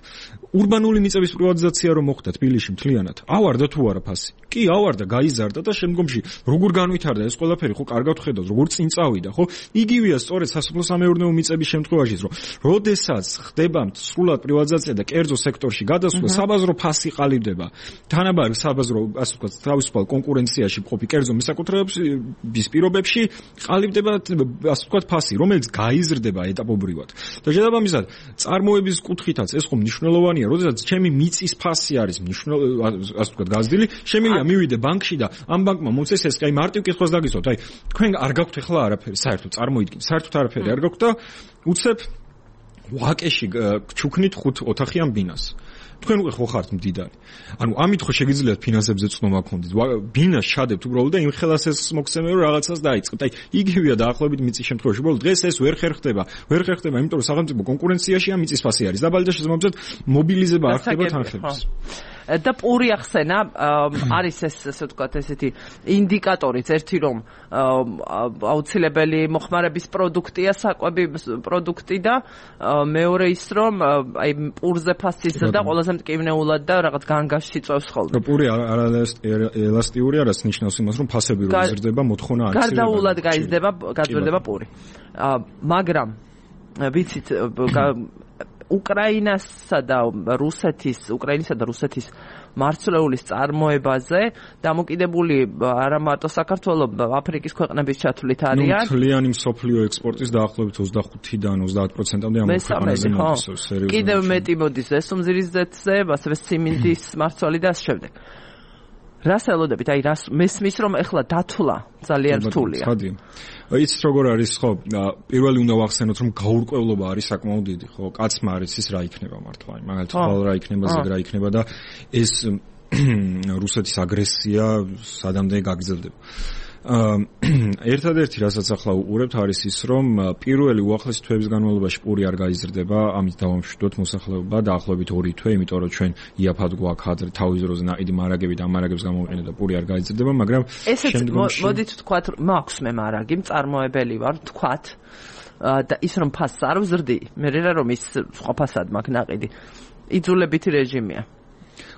ურბანული მიწების პრივატიზაცია რომ მოხდა თბილისში მთლიანად. ავარდა თუ არა ფასი? კი, ავარდა, გაიზარდა და შემდგომში როგორ განვითარდა ეს ყველაფერი, ხო, კარგად ხედავთ, როგორ წინ წავიდა, ხო? იგივეა სწორედ სასოფლო-სამეურნეო მიწების შემთხვევაშიც, რომ როდესაც ხდება სრულად პრივატიზაცია და კერძო სექტორში გადასვლა, საბაზრო ფასი ყალიბდება. თანაბარ საბაზრო, ასე ვთქვათ, თავისუფალ კონკურენციაში მყოფი კერძო მისაკუთრეების პირობებში ყალიბდება, ასე ვთქვათ, ფასი, რომელიც გაიზრდება ეტაპობრივად. და შესაბამისად, წარმოების კუთხითაც ეს ხომ მნიშვნელოვანია, როდესაც ჩემი მიწის ფასი არის მნიშვნელოვანი, ასე ვთქვათ, გაზრდილი, შემიძლია მივიდე ბანკში და ამ ბანკმა მოწეს ეს, აი მარტივ კითხვას დაგისვათ, აი თქვენ არ გაქვთ ახლა არაფერი, საერთოდ წარმოიდგინეთ, საერთოდ არაფერი არ გაქვთ და უცებ ვაკეში ჩუქნით ხუთ ოთახიან ბინას. თქვენ უკვე ხო ხართ მდიდარი. ანუ ამით ხო შეგიძლიათ ფინანსებზე წნომა გქონდეთ. ბინას შადებთ უბრალოდ და იმ ხელას ეს მოგცემენ რომ რაღაცას დაიწყებთ. აი იგივეა დაახლოებით მიწის შემთხვევაში. უბრალოდ დღეს ეს ვერ ხერხდება. ვერ ხერხდება, იმიტომ რომ სახელმწიფო კონკურენციაში ამ მიწის ფასი არის დაბალი და შესაბამისად მობილიზება არ ხდება თანხების. და პური ახსენა არის ეს ასე ვთქვათ ესეთი ინდიკატორიც ერთი რომ აუცილებელი მოხმარების პროდუქტია საკვები პროდუქტი და მეორე ის რომ აი პურზე ფასის და ყველაზე მტკივნეულად და რაღაც განგაშში წევს ხოლმე. პური არაელასტიური არის ნიშნავს იმას რომ ფასები რო იზრდება მოთხოვნა არ იცლება. გარდაულად გაიზრდება გაძვირდება პური. მაგრამ ვიცით უკრაინასა და რუსეთის, უკრაინისა და რუსეთის მარცვლეულის წარმოებაზე დამოკიდებული არა მარტო საქართველოს, აფრიკის ქვეყნების ჩათვლით არიან. ნუ მთლიანი მსოფლიო ექსპორტის დაახლოებით ოცდახუთიდან ოცდაათ პროცენტამდე ამ ქვეყნებზე მოდის სერიოზულად. კიდევ მეტი მოდის ესუმზირიზეთზე, ასევე სიმინდის მარცვალი და ამ შემდეგ. რას ელოდებით? აი რას მესმის რომ ეხლა დათვლა ძალიან რთულია. იცით როგორ არის ხო? პირველი უნდა ვახსენოთ რომ გაურკვევლობა არის საკმაოდ დიდი, ხო? კაცმა არის ის რა იქნება მართლა. აი მაგალითად ხვალ რა იქნება, ზედ რა იქნება და ეს რუსეთის აგრესია სადამდე გაგრძელდება. ერთადერთი რასაც ახლა უყურებთ არის ის რომ პირველი უახლესი თვეების განმავლობაში პური არ გაიზრდება, ამით დავამშვიდოთ მოსახლეობა დაახლოებით ორი თვე, იმიტომ რომ ჩვენ იაფად გვაქვს ადრე თავის დროზე ნაიდი მარაგები და მარაგებს გამოვიყენეთ და პური არ გაიზრდება, მაგრამ შემდგომში მოდით ვთქვათ, მაქვს მე მარაგი, მწარმოებელი ვარ, ვთქვათ და ის რომ ფასს არ ვზრდი, მე რა რომ ის სხვა ფასად მაქვს ნაყიდი. იძულებითი რეჟიმია.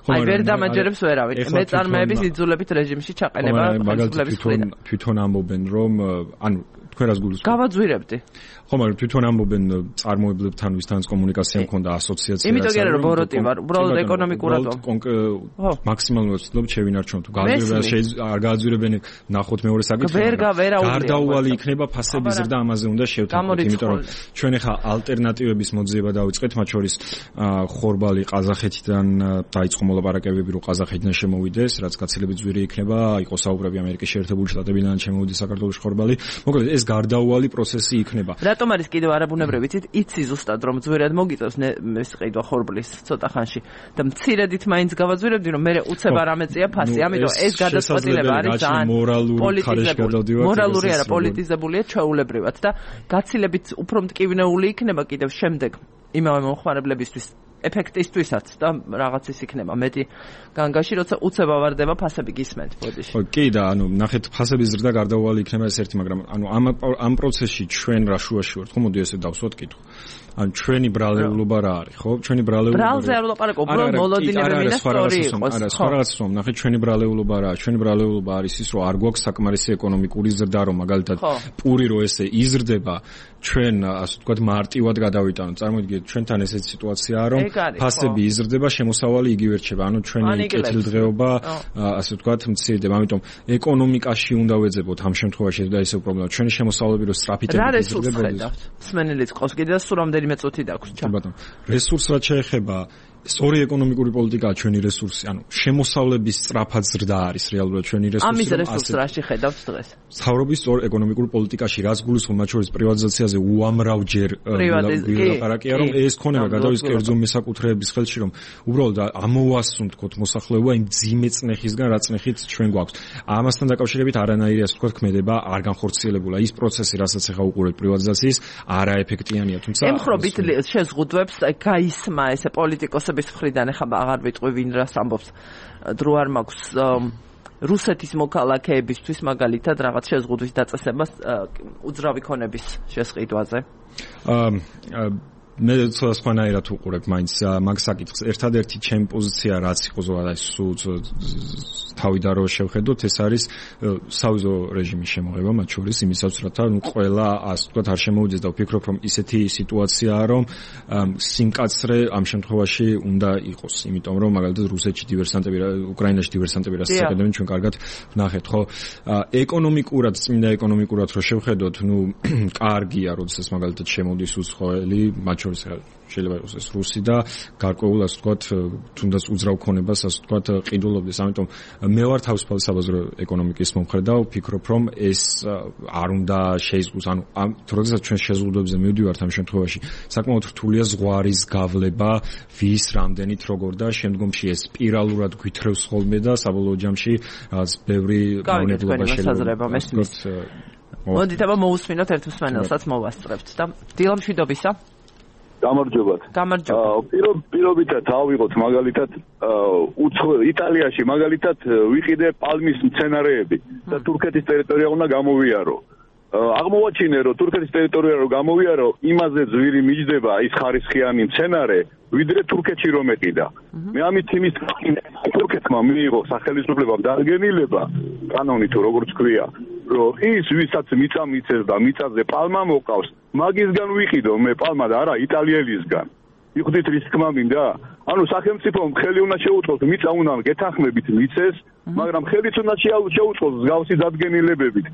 აი ვერ დამაჯერებს ვერავინ. მეწარმეების იძულებით რეჟიმში ჩაყენება ხელისუფლების მხრიდან. თვითონ ამბობენ რომ ანუ თქვენ რას გულისხმობთ? გავაძვირებდი. ხო, მაგრამ თვითონ ამბობენ წარმოებლებთან ვისთანაც კომუნიკაცია მქონდა ასოციაცია. იმიტომ რომ ბოროტი ვარ, უბრალოდ ეკონომიკურად მაქსიმალურად ვცდილობ შევინარჩუნოთ. გააზრება არ გააზრებენ ნახოთ მეორე საკითხი. ვერ გავერაუდი. გარდაუვალი იქნება ფასების ზრდა, ამაზე უნდა შევთანხმდეთ, იმიტომ რომ ჩვენ ახლა ალტერნატივების მოძიება დავიწყეთ, მათ შორის ხორბალი ყაზახეთიდან დაიწყო მოლაპარაკებები, რომ ყაზახეთიდან შემოვიდეს, რაც გაცილებით ძვირი იქნება, იყოს საუბრები ამერიკის შეერთებული შტატებიდან შემოვიდეს საქართველოში ხორბალი. მოკლედ ეს გარდაუვალი პროცესი იქნება. რატომ არის კიდევ არაბუნებრივი? იცი ზუსტად რომ ძვირად მოგიწევს ეს ყიდვა ხორბლის ცოტა ხანში და მცირედით მაინც გავაძვირებდი რომ მე უცებ არ ამეწია ფასი, ამიტომ ეს გადაწყვეტილება არის ძალიან პოლიტიზებული. მორალური არა, პოლიტიზებულია ჩვეულებრივად და გაცილებით უფრო მტკივნეული იქნება კიდევ შემდეგ იმავე მომხმარებლებისთვის ეფექტისთვისაც და რაღაც ის იქნება მეტი განგაში, როცა უცებ ავარდება ფასები გისმენთ ბოდიში. ხო, კი და ანუ ნახეთ ფასების ზრდა გარდაუვალი იქნება ეს ერთი, მაგრამ ანუ ამ ამ პროცესში ჩვენ რა შუაში ვართ, ხო მოდი ესე დავსვათ კითხვა. ანუ ჩვენი ბრალეულობა რა არის, ხო? ჩვენი ბრალეულობა ბრალზე არ ვლაპარაკობ, უბრალოდ მოლოდინები მინდა სწორი იყოს. არა, სხვა რაღაც ვსვამ, ნახეთ ჩვენი ბრალეულობა რა არის? ჩვენი ბრალეულობა არის ის, რომ არ გვაქვს საკმარისი ეკონომიკური ზრდა, რომ მაგალითად პური რო ესე იზრდება, ჩვენ ასე ვთქვათ მარტივად გადავიტანოთ. წარმოიდგინეთ, ჩვენთან ესეთი სიტუაციაა, რომ ფასები იზრდება, შემოსავალი იგივე რჩება. ანუ ჩვენი კეთილდღეობა ასე ვთქვათ მცირდება. ამიტომ ეკონომიკაში უნდა ვეძებოთ ამ შემთხვევაში და ისევ პრობლემა. ჩვენი შემოსავლები რო სწრაფით იზრდება. სმენელიც ყავს კიდე და სულ რამდენიმე წუთი დაგვჭირდა. ბატონო, რესურს რაც შეეხება სწორი ეკონომიკური პოლიტიკაა ჩვენი რესურსი, ანუ შემოსავლების სწრაფად ზრდა არის რეალურად ჩვენი რესურსი. ამის რესურსს რა შეხედავთ დღეს? მთავრობის სწორ ეკონომიკურ პოლიტიკაში რაც გულისხმობს, მათ შორის პრივატიზაციაზე უამრავჯერ ვილაპარაკია, რომ ეს ქონება გადავის კერძო მესაკუთრეების ხელში, რომ უბრალოდ ამოვასუნთქოთ მოსახლეობა იმ ძიმე წნეხისგან, რა წნეხით ჩვენ გვაქვს. ამასთან დაკავშირებით არანაირი ასე ვთქვათ ქმედება არ განხორციელებულა. ის პროცესი, რასაც ახლა უყურებთ პრივატიზაციის, არაეფექტიანია, თუმცა ემხრობით შეზღუდვებს გაისმა ესე პოლიტიკოსების მხრიდან, ეხლა აღარ ვიტყვი ვინ რას ამბობს, დრო არ მაქვს რუსეთის მოქალაქეებისთვის მაგალითად რაღაც შეზღუდვის დაწესებას უძრავი ქონების შესყიდვაზე? აა მე სხვანაირად უყურებ მაინც მაგ საკითხს. ერთადერთი ჩემი პოზიცია რაც იყო ზოგადად სულ თავიდან რო შევხედოთ, ეს არის სავიზო რეჟიმის შემოღება მათ შორის იმისაც, რათა ნუ ყველა ასე ვთქვათ არ შემოვიდეს და ვფიქრობ, რომ ისეთი სიტუაციაა, რომ სიმკაცრე ამ შემთხვევაში უნდა იყოს, იმიტომ რომ მაგალითად რუსეთში დივერსანტები, უკრაინაში დივერსანტები რასაც აკეთებენ, ჩვენ კარგად ვნახეთ, ხო? ეკონომიკურად, წმინდა ეკონომიკურად რო შევხედოთ, ნუ კარგია, როდესაც მაგალითად შემოდის უცხოელი, მათ შორის შეიძლება იყოს ეს რუსი და გარკვეულ ასე ვთქვათ, თუნდაც უძრავ ქონებას ასე ვთქვათ ყიდულობდეს. ამიტომ მე ვარ თავისუფალი საბაზრო ეკონომიკის მომხრე და ვფიქრობ, რომ ეს არ უნდა შეიზღუდოს. ანუ ამ როდესაც ჩვენ შეზღუდვებზე მივდივართ ამ შემთხვევაში, საკმაოდ რთულია ზღვარის გავლება, ვის რამდენით როგორ და შემდგომში ეს სპირალურად გვითრევს ხოლმე და საბოლოო ჯამში რაღაც ბევრი მავნებლობა შეიძლება მესმის. მოდით აბა მოусმინოთ ერთ მსმენელსაც მოვასწრებთ და დილამშვიდობისა. გამარჯობათ. გამარჯობა. პირობითად ავიღოთ მაგალითად იტალიაში მაგალითად ვიყიდე პალმის მცენარეები და თურქეთის ტერიტორია უნდა გამოვიარო. აღმოვაჩინე რომ თურქეთის ტერიტორია რომ გამოვიარო, იმაზე ძვირი მიჯდება ის ხარისხიანი მცენარე, ვიდრე თურქეთში რომ ეყიდა. მე ამით იმის თურქეთმა მიიღო სახელმწიფოებამ დადგენილება, კანონი თუ როგორც ქვია, რომ ის ვისაც მიწა მიცეს და მიწაზე პალმა მოკავს, მაგისგან ვიყიდო მე პალმა და არა იტალიელისგან. მიხვდით რის თქმა მინდა? ანუ სახელმწიფომ ხელი უნდა შეუწყოს, მიწა უნდა გეთანხმებით მიცეს, მაგრამ ხელიც უნდა შეუწყოს მსგავსი დადგენილებებით.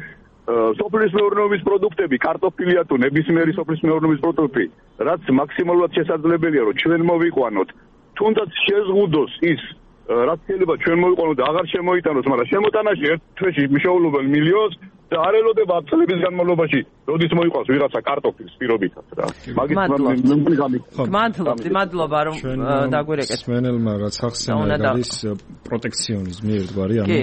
სოფლის მეურნეობის პროდუქტები, კარტოფილია თუ ნებისმიერი სოფლის მეურნეობის პროდუქტი, რაც მაქსიმალურად შესაძლებელია, რომ ჩვენ მოვიყვანოთ, თუნდაც შეზღუდოს ის, რაც შეიძლება ჩვენ მოვიყვანოთ და აღარ შემოიტანოს, მაგრამ შემოტანაში ერთ თვეში მიშოულობენ მილიონს და არ ელოდება წლების განმავლობაში, როდის მოიყვანს ვიღაცა კარტოფილს პირობითად რა. მაგის მადლობთ, მადლობა რომ დაგვირეკეთ. სმენელმა რაც ახსენა არის პროტექციონიზმი ერთგვარი, ანუ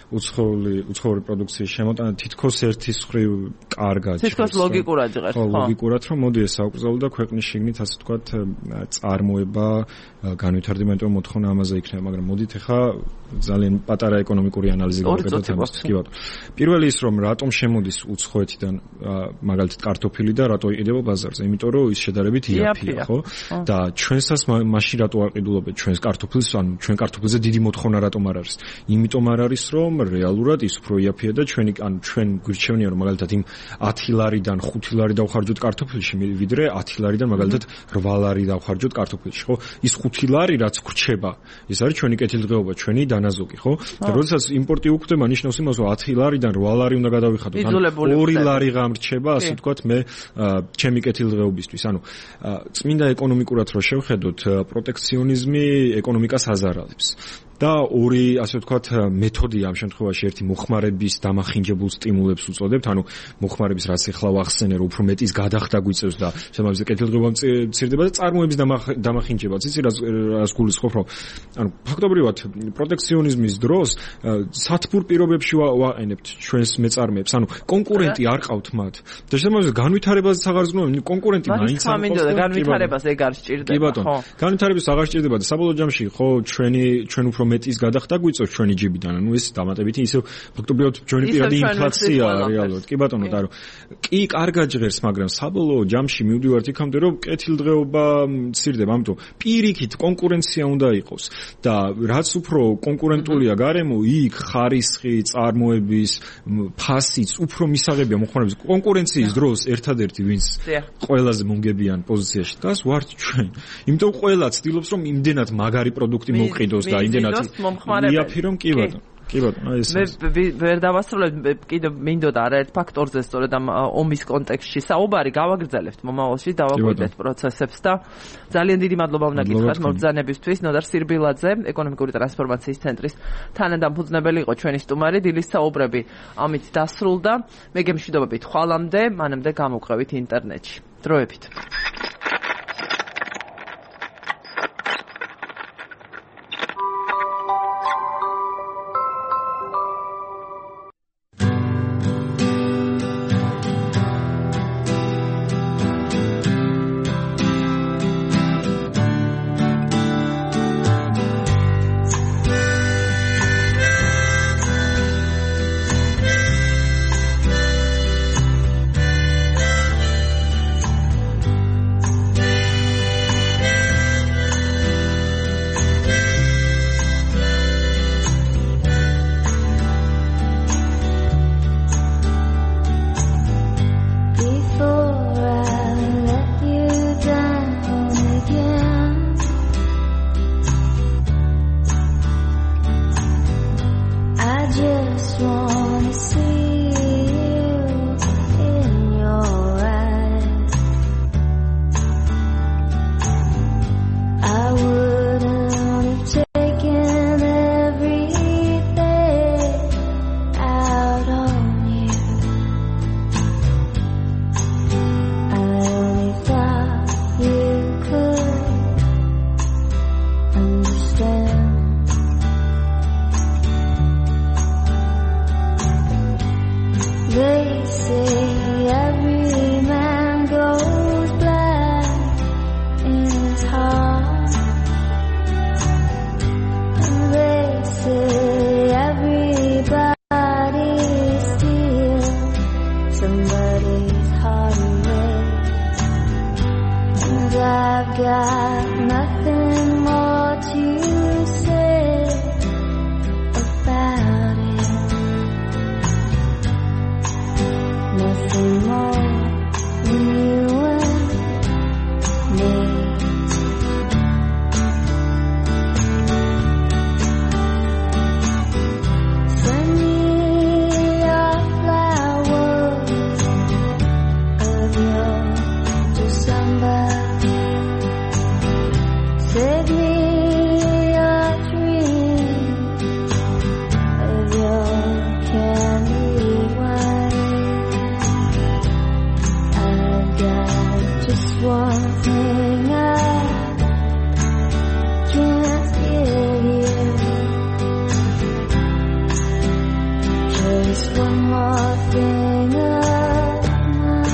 უცხოური უცხოური პროდუქციის შემოტანა თითქოს ერთის მხრივ კარგად. თითქოს ლოგიკურად იღებს, ხო? ლოგიკურად რომ მოდი ეს აუკრძალო და ქვეყნის შიგნით ასე ვთქვათ წარმოება განვითარდება, იმიტომ რომ მოთხოვნა ამაზე იქნება, მაგრამ მოდით ახლა ძალიან პატარა ეკონომიკური ანალიზი გავაკეთოთ ამას. კი ბატონო. პირველი ის რომ რატომ შემოდის უცხოეთიდან მაგალითად კარტოფილი და რატო იყიდება ბაზარზე? იმიტომ რომ ის შედარებით იაფია, ხო? და ჩვენსაც მაშინ რატო არ ყიდულობთ ჩვენს კარტოფილს, ანუ ჩვენ კარტოფილზე დიდი მოთხოვნა რატომ არ არის? იმიტომ არ არის რომ რეალურად ის უფრო იაფია და ჩვენი ანუ ჩვენ გვირჩევნია რომ მაგალითად იმ ათი ლარიდან ხუთი ლარი დავხარჯოთ კარტოფილში, ვიდრე ათი ლარიდან მაგალითად რვა ლარი დავხარჯოთ კარტოფილში, ხო? ის ხუთი ლარი რაც გრჩება, ეს არის ჩვენი კეთილდღეობა, ჩვენი დანაზოგი, ხო? და როდესაც იმპორტი უხდება, ნიშნავს იმას, რომ ათი ლარიდან რვა ლარი უნდა გადავიხადოთ, ანუ ორი ლარი გამრჩება, ასე ვთქვათ, მე ჩემი კეთილდღეობისთვის. ანუ წმინდა ეკონომიკურად რო შევხედოთ, პროტექციონიზმი ეკონომიკას აზარალებს. და ორი ასე ვთქვათ მეთოდი ამ შემთხვევაში ერთი მოხმარების დამახინჯებულ სტიმულებს უწოდებთ, ანუ მოხმარების რაც ახლა ვახსენე, რომ უფრო მეტის გადახდა გვიწევს და შემავზე კეთილდღეობა მცირდება და წარმოების დამახინჯებაც. იცი რაც რაც გულისხმობ, რომ ანუ ფაქტობრივად პროტექციონიზმის დროს სათბურ პირობებში ვაყენებთ ჩვენს მეწარმეებს, ანუ კონკურენტი არ ყავთ მათ. და შემავზე განვითარებაზეც აღარ ზრუნავენ, კონკურენტი მაინც არ ყავს და განვითარებას ეგ არ სჭირდება, ხო? განვითარებას აღარ სჭირდება და საბოლოო ჯამში ხო ჩვენი ჩვენ უფრო მეტის გადახდა გვიწევს ჩვენი ჯიბიდან, ანუ ეს დამატებითი ისევ ფაქტობრივად ჩვენი პირადი ინფლაცია რეალურად. კი ბატონო, და რომ კი კარგად ჟღერს, მაგრამ საბოლოო ჯამში მივდივართ იქამდე, რომ კეთილდღეობა მცირდება, ამიტომ პირიქით კონკურენცია უნდა იყოს და რაც უფრო კონკურენტულია გარემო, იქ ხარისხი, წარმოების ფასიც უფრო მისაღებია მოხმარების. კონკურენციის დროს ერთადერთი ვინც ყველაზე მომგებიან პოზიციაში დგას ვართ ჩვენ. იმიტომ ყველა ცდილობს რომ იმდენად მაგარი პროდუქტი მოვყიდოს და იმდენად იაფირო კი ბატონო. კი ბატონო, ეს მე ვერ დავასრულებ, კიდევ მინდოდა არაერთ ფაქტორზე სწორედ ამ ომის კონტექსტში საუბარი გავაგრძელებთ მომავალში, დავაკვირდეთ პროცესებს და ძალიან დიდი მადლობა უნდა გითხრათ მობრძანებისთვის. ნოდარ სირბილაძე, ეკონომიკური ტრანსფორმაციის ცენტრის თანადამფუძნებელი იყო ჩვენი სტუმარი. დილის საუბრები ამით დასრულდა. მე გემშვიდობებით ხვალამდე, მანამდე გამოვყევით ინტერნეტში. დროებით. his heart. And they say everybody steals somebody's heart away. And I've got nothing more to say about it. Nothing more than you and me. Send me your flowers of your December. Save me your dreams of your candy wine. I've got just one thing I can't give you. Just one more thing of mine.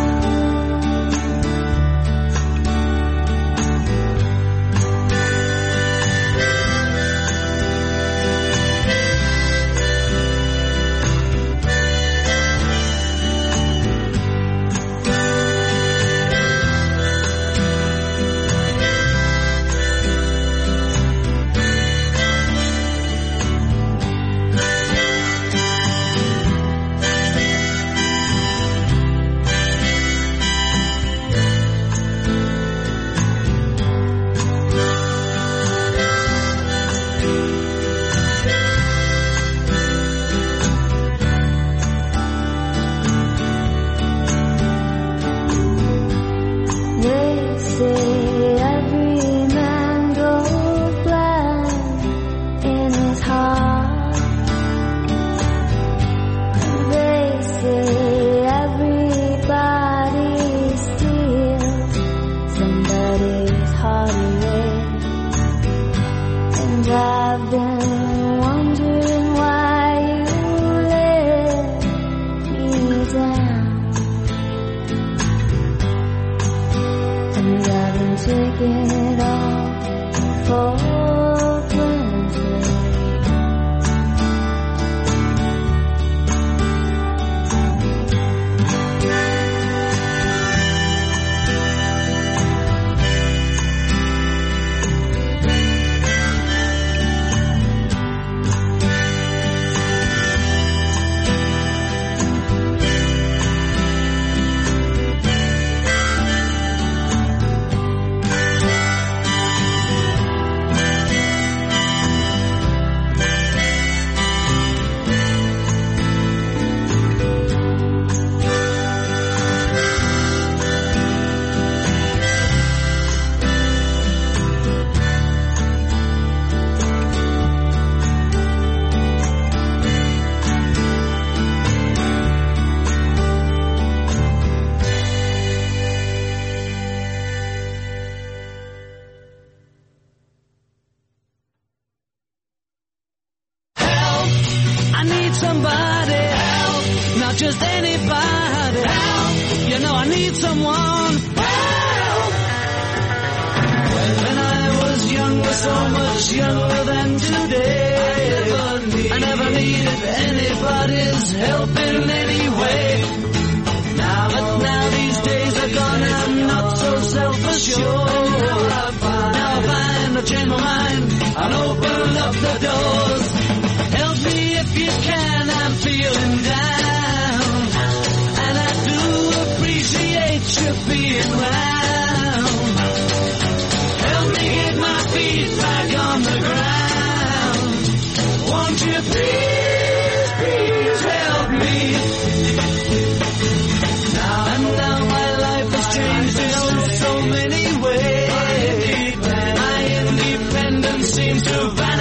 They say every man goes blind in his heart. They say everybody steals somebody's heart away. And I've been wondering why you let me down. And I've been taking it all for granted. I need somebody help, not just anybody help. You know I need someone help. When I was younger, so much younger than today, I never needed anybody's help in any way. Now, but now these days are gone, I'm not so self-assured. Now I find, now I find I've changed my mind, I'll open up the doors. Help me if you can, I'm feeling down, and I do appreciate you being round. Help me get my feet back on the ground. Won't you please, please help me? Now and now my life has changed in oh so many ways. My independence seems to vanish.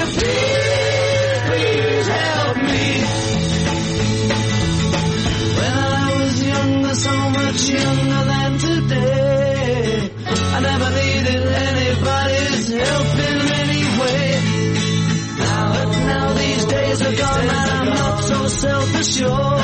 you please, please help me? When I was younger, so much younger than today, I never needed anybody's help in any way. Now, but now these days are gone and I'm not so self-assured.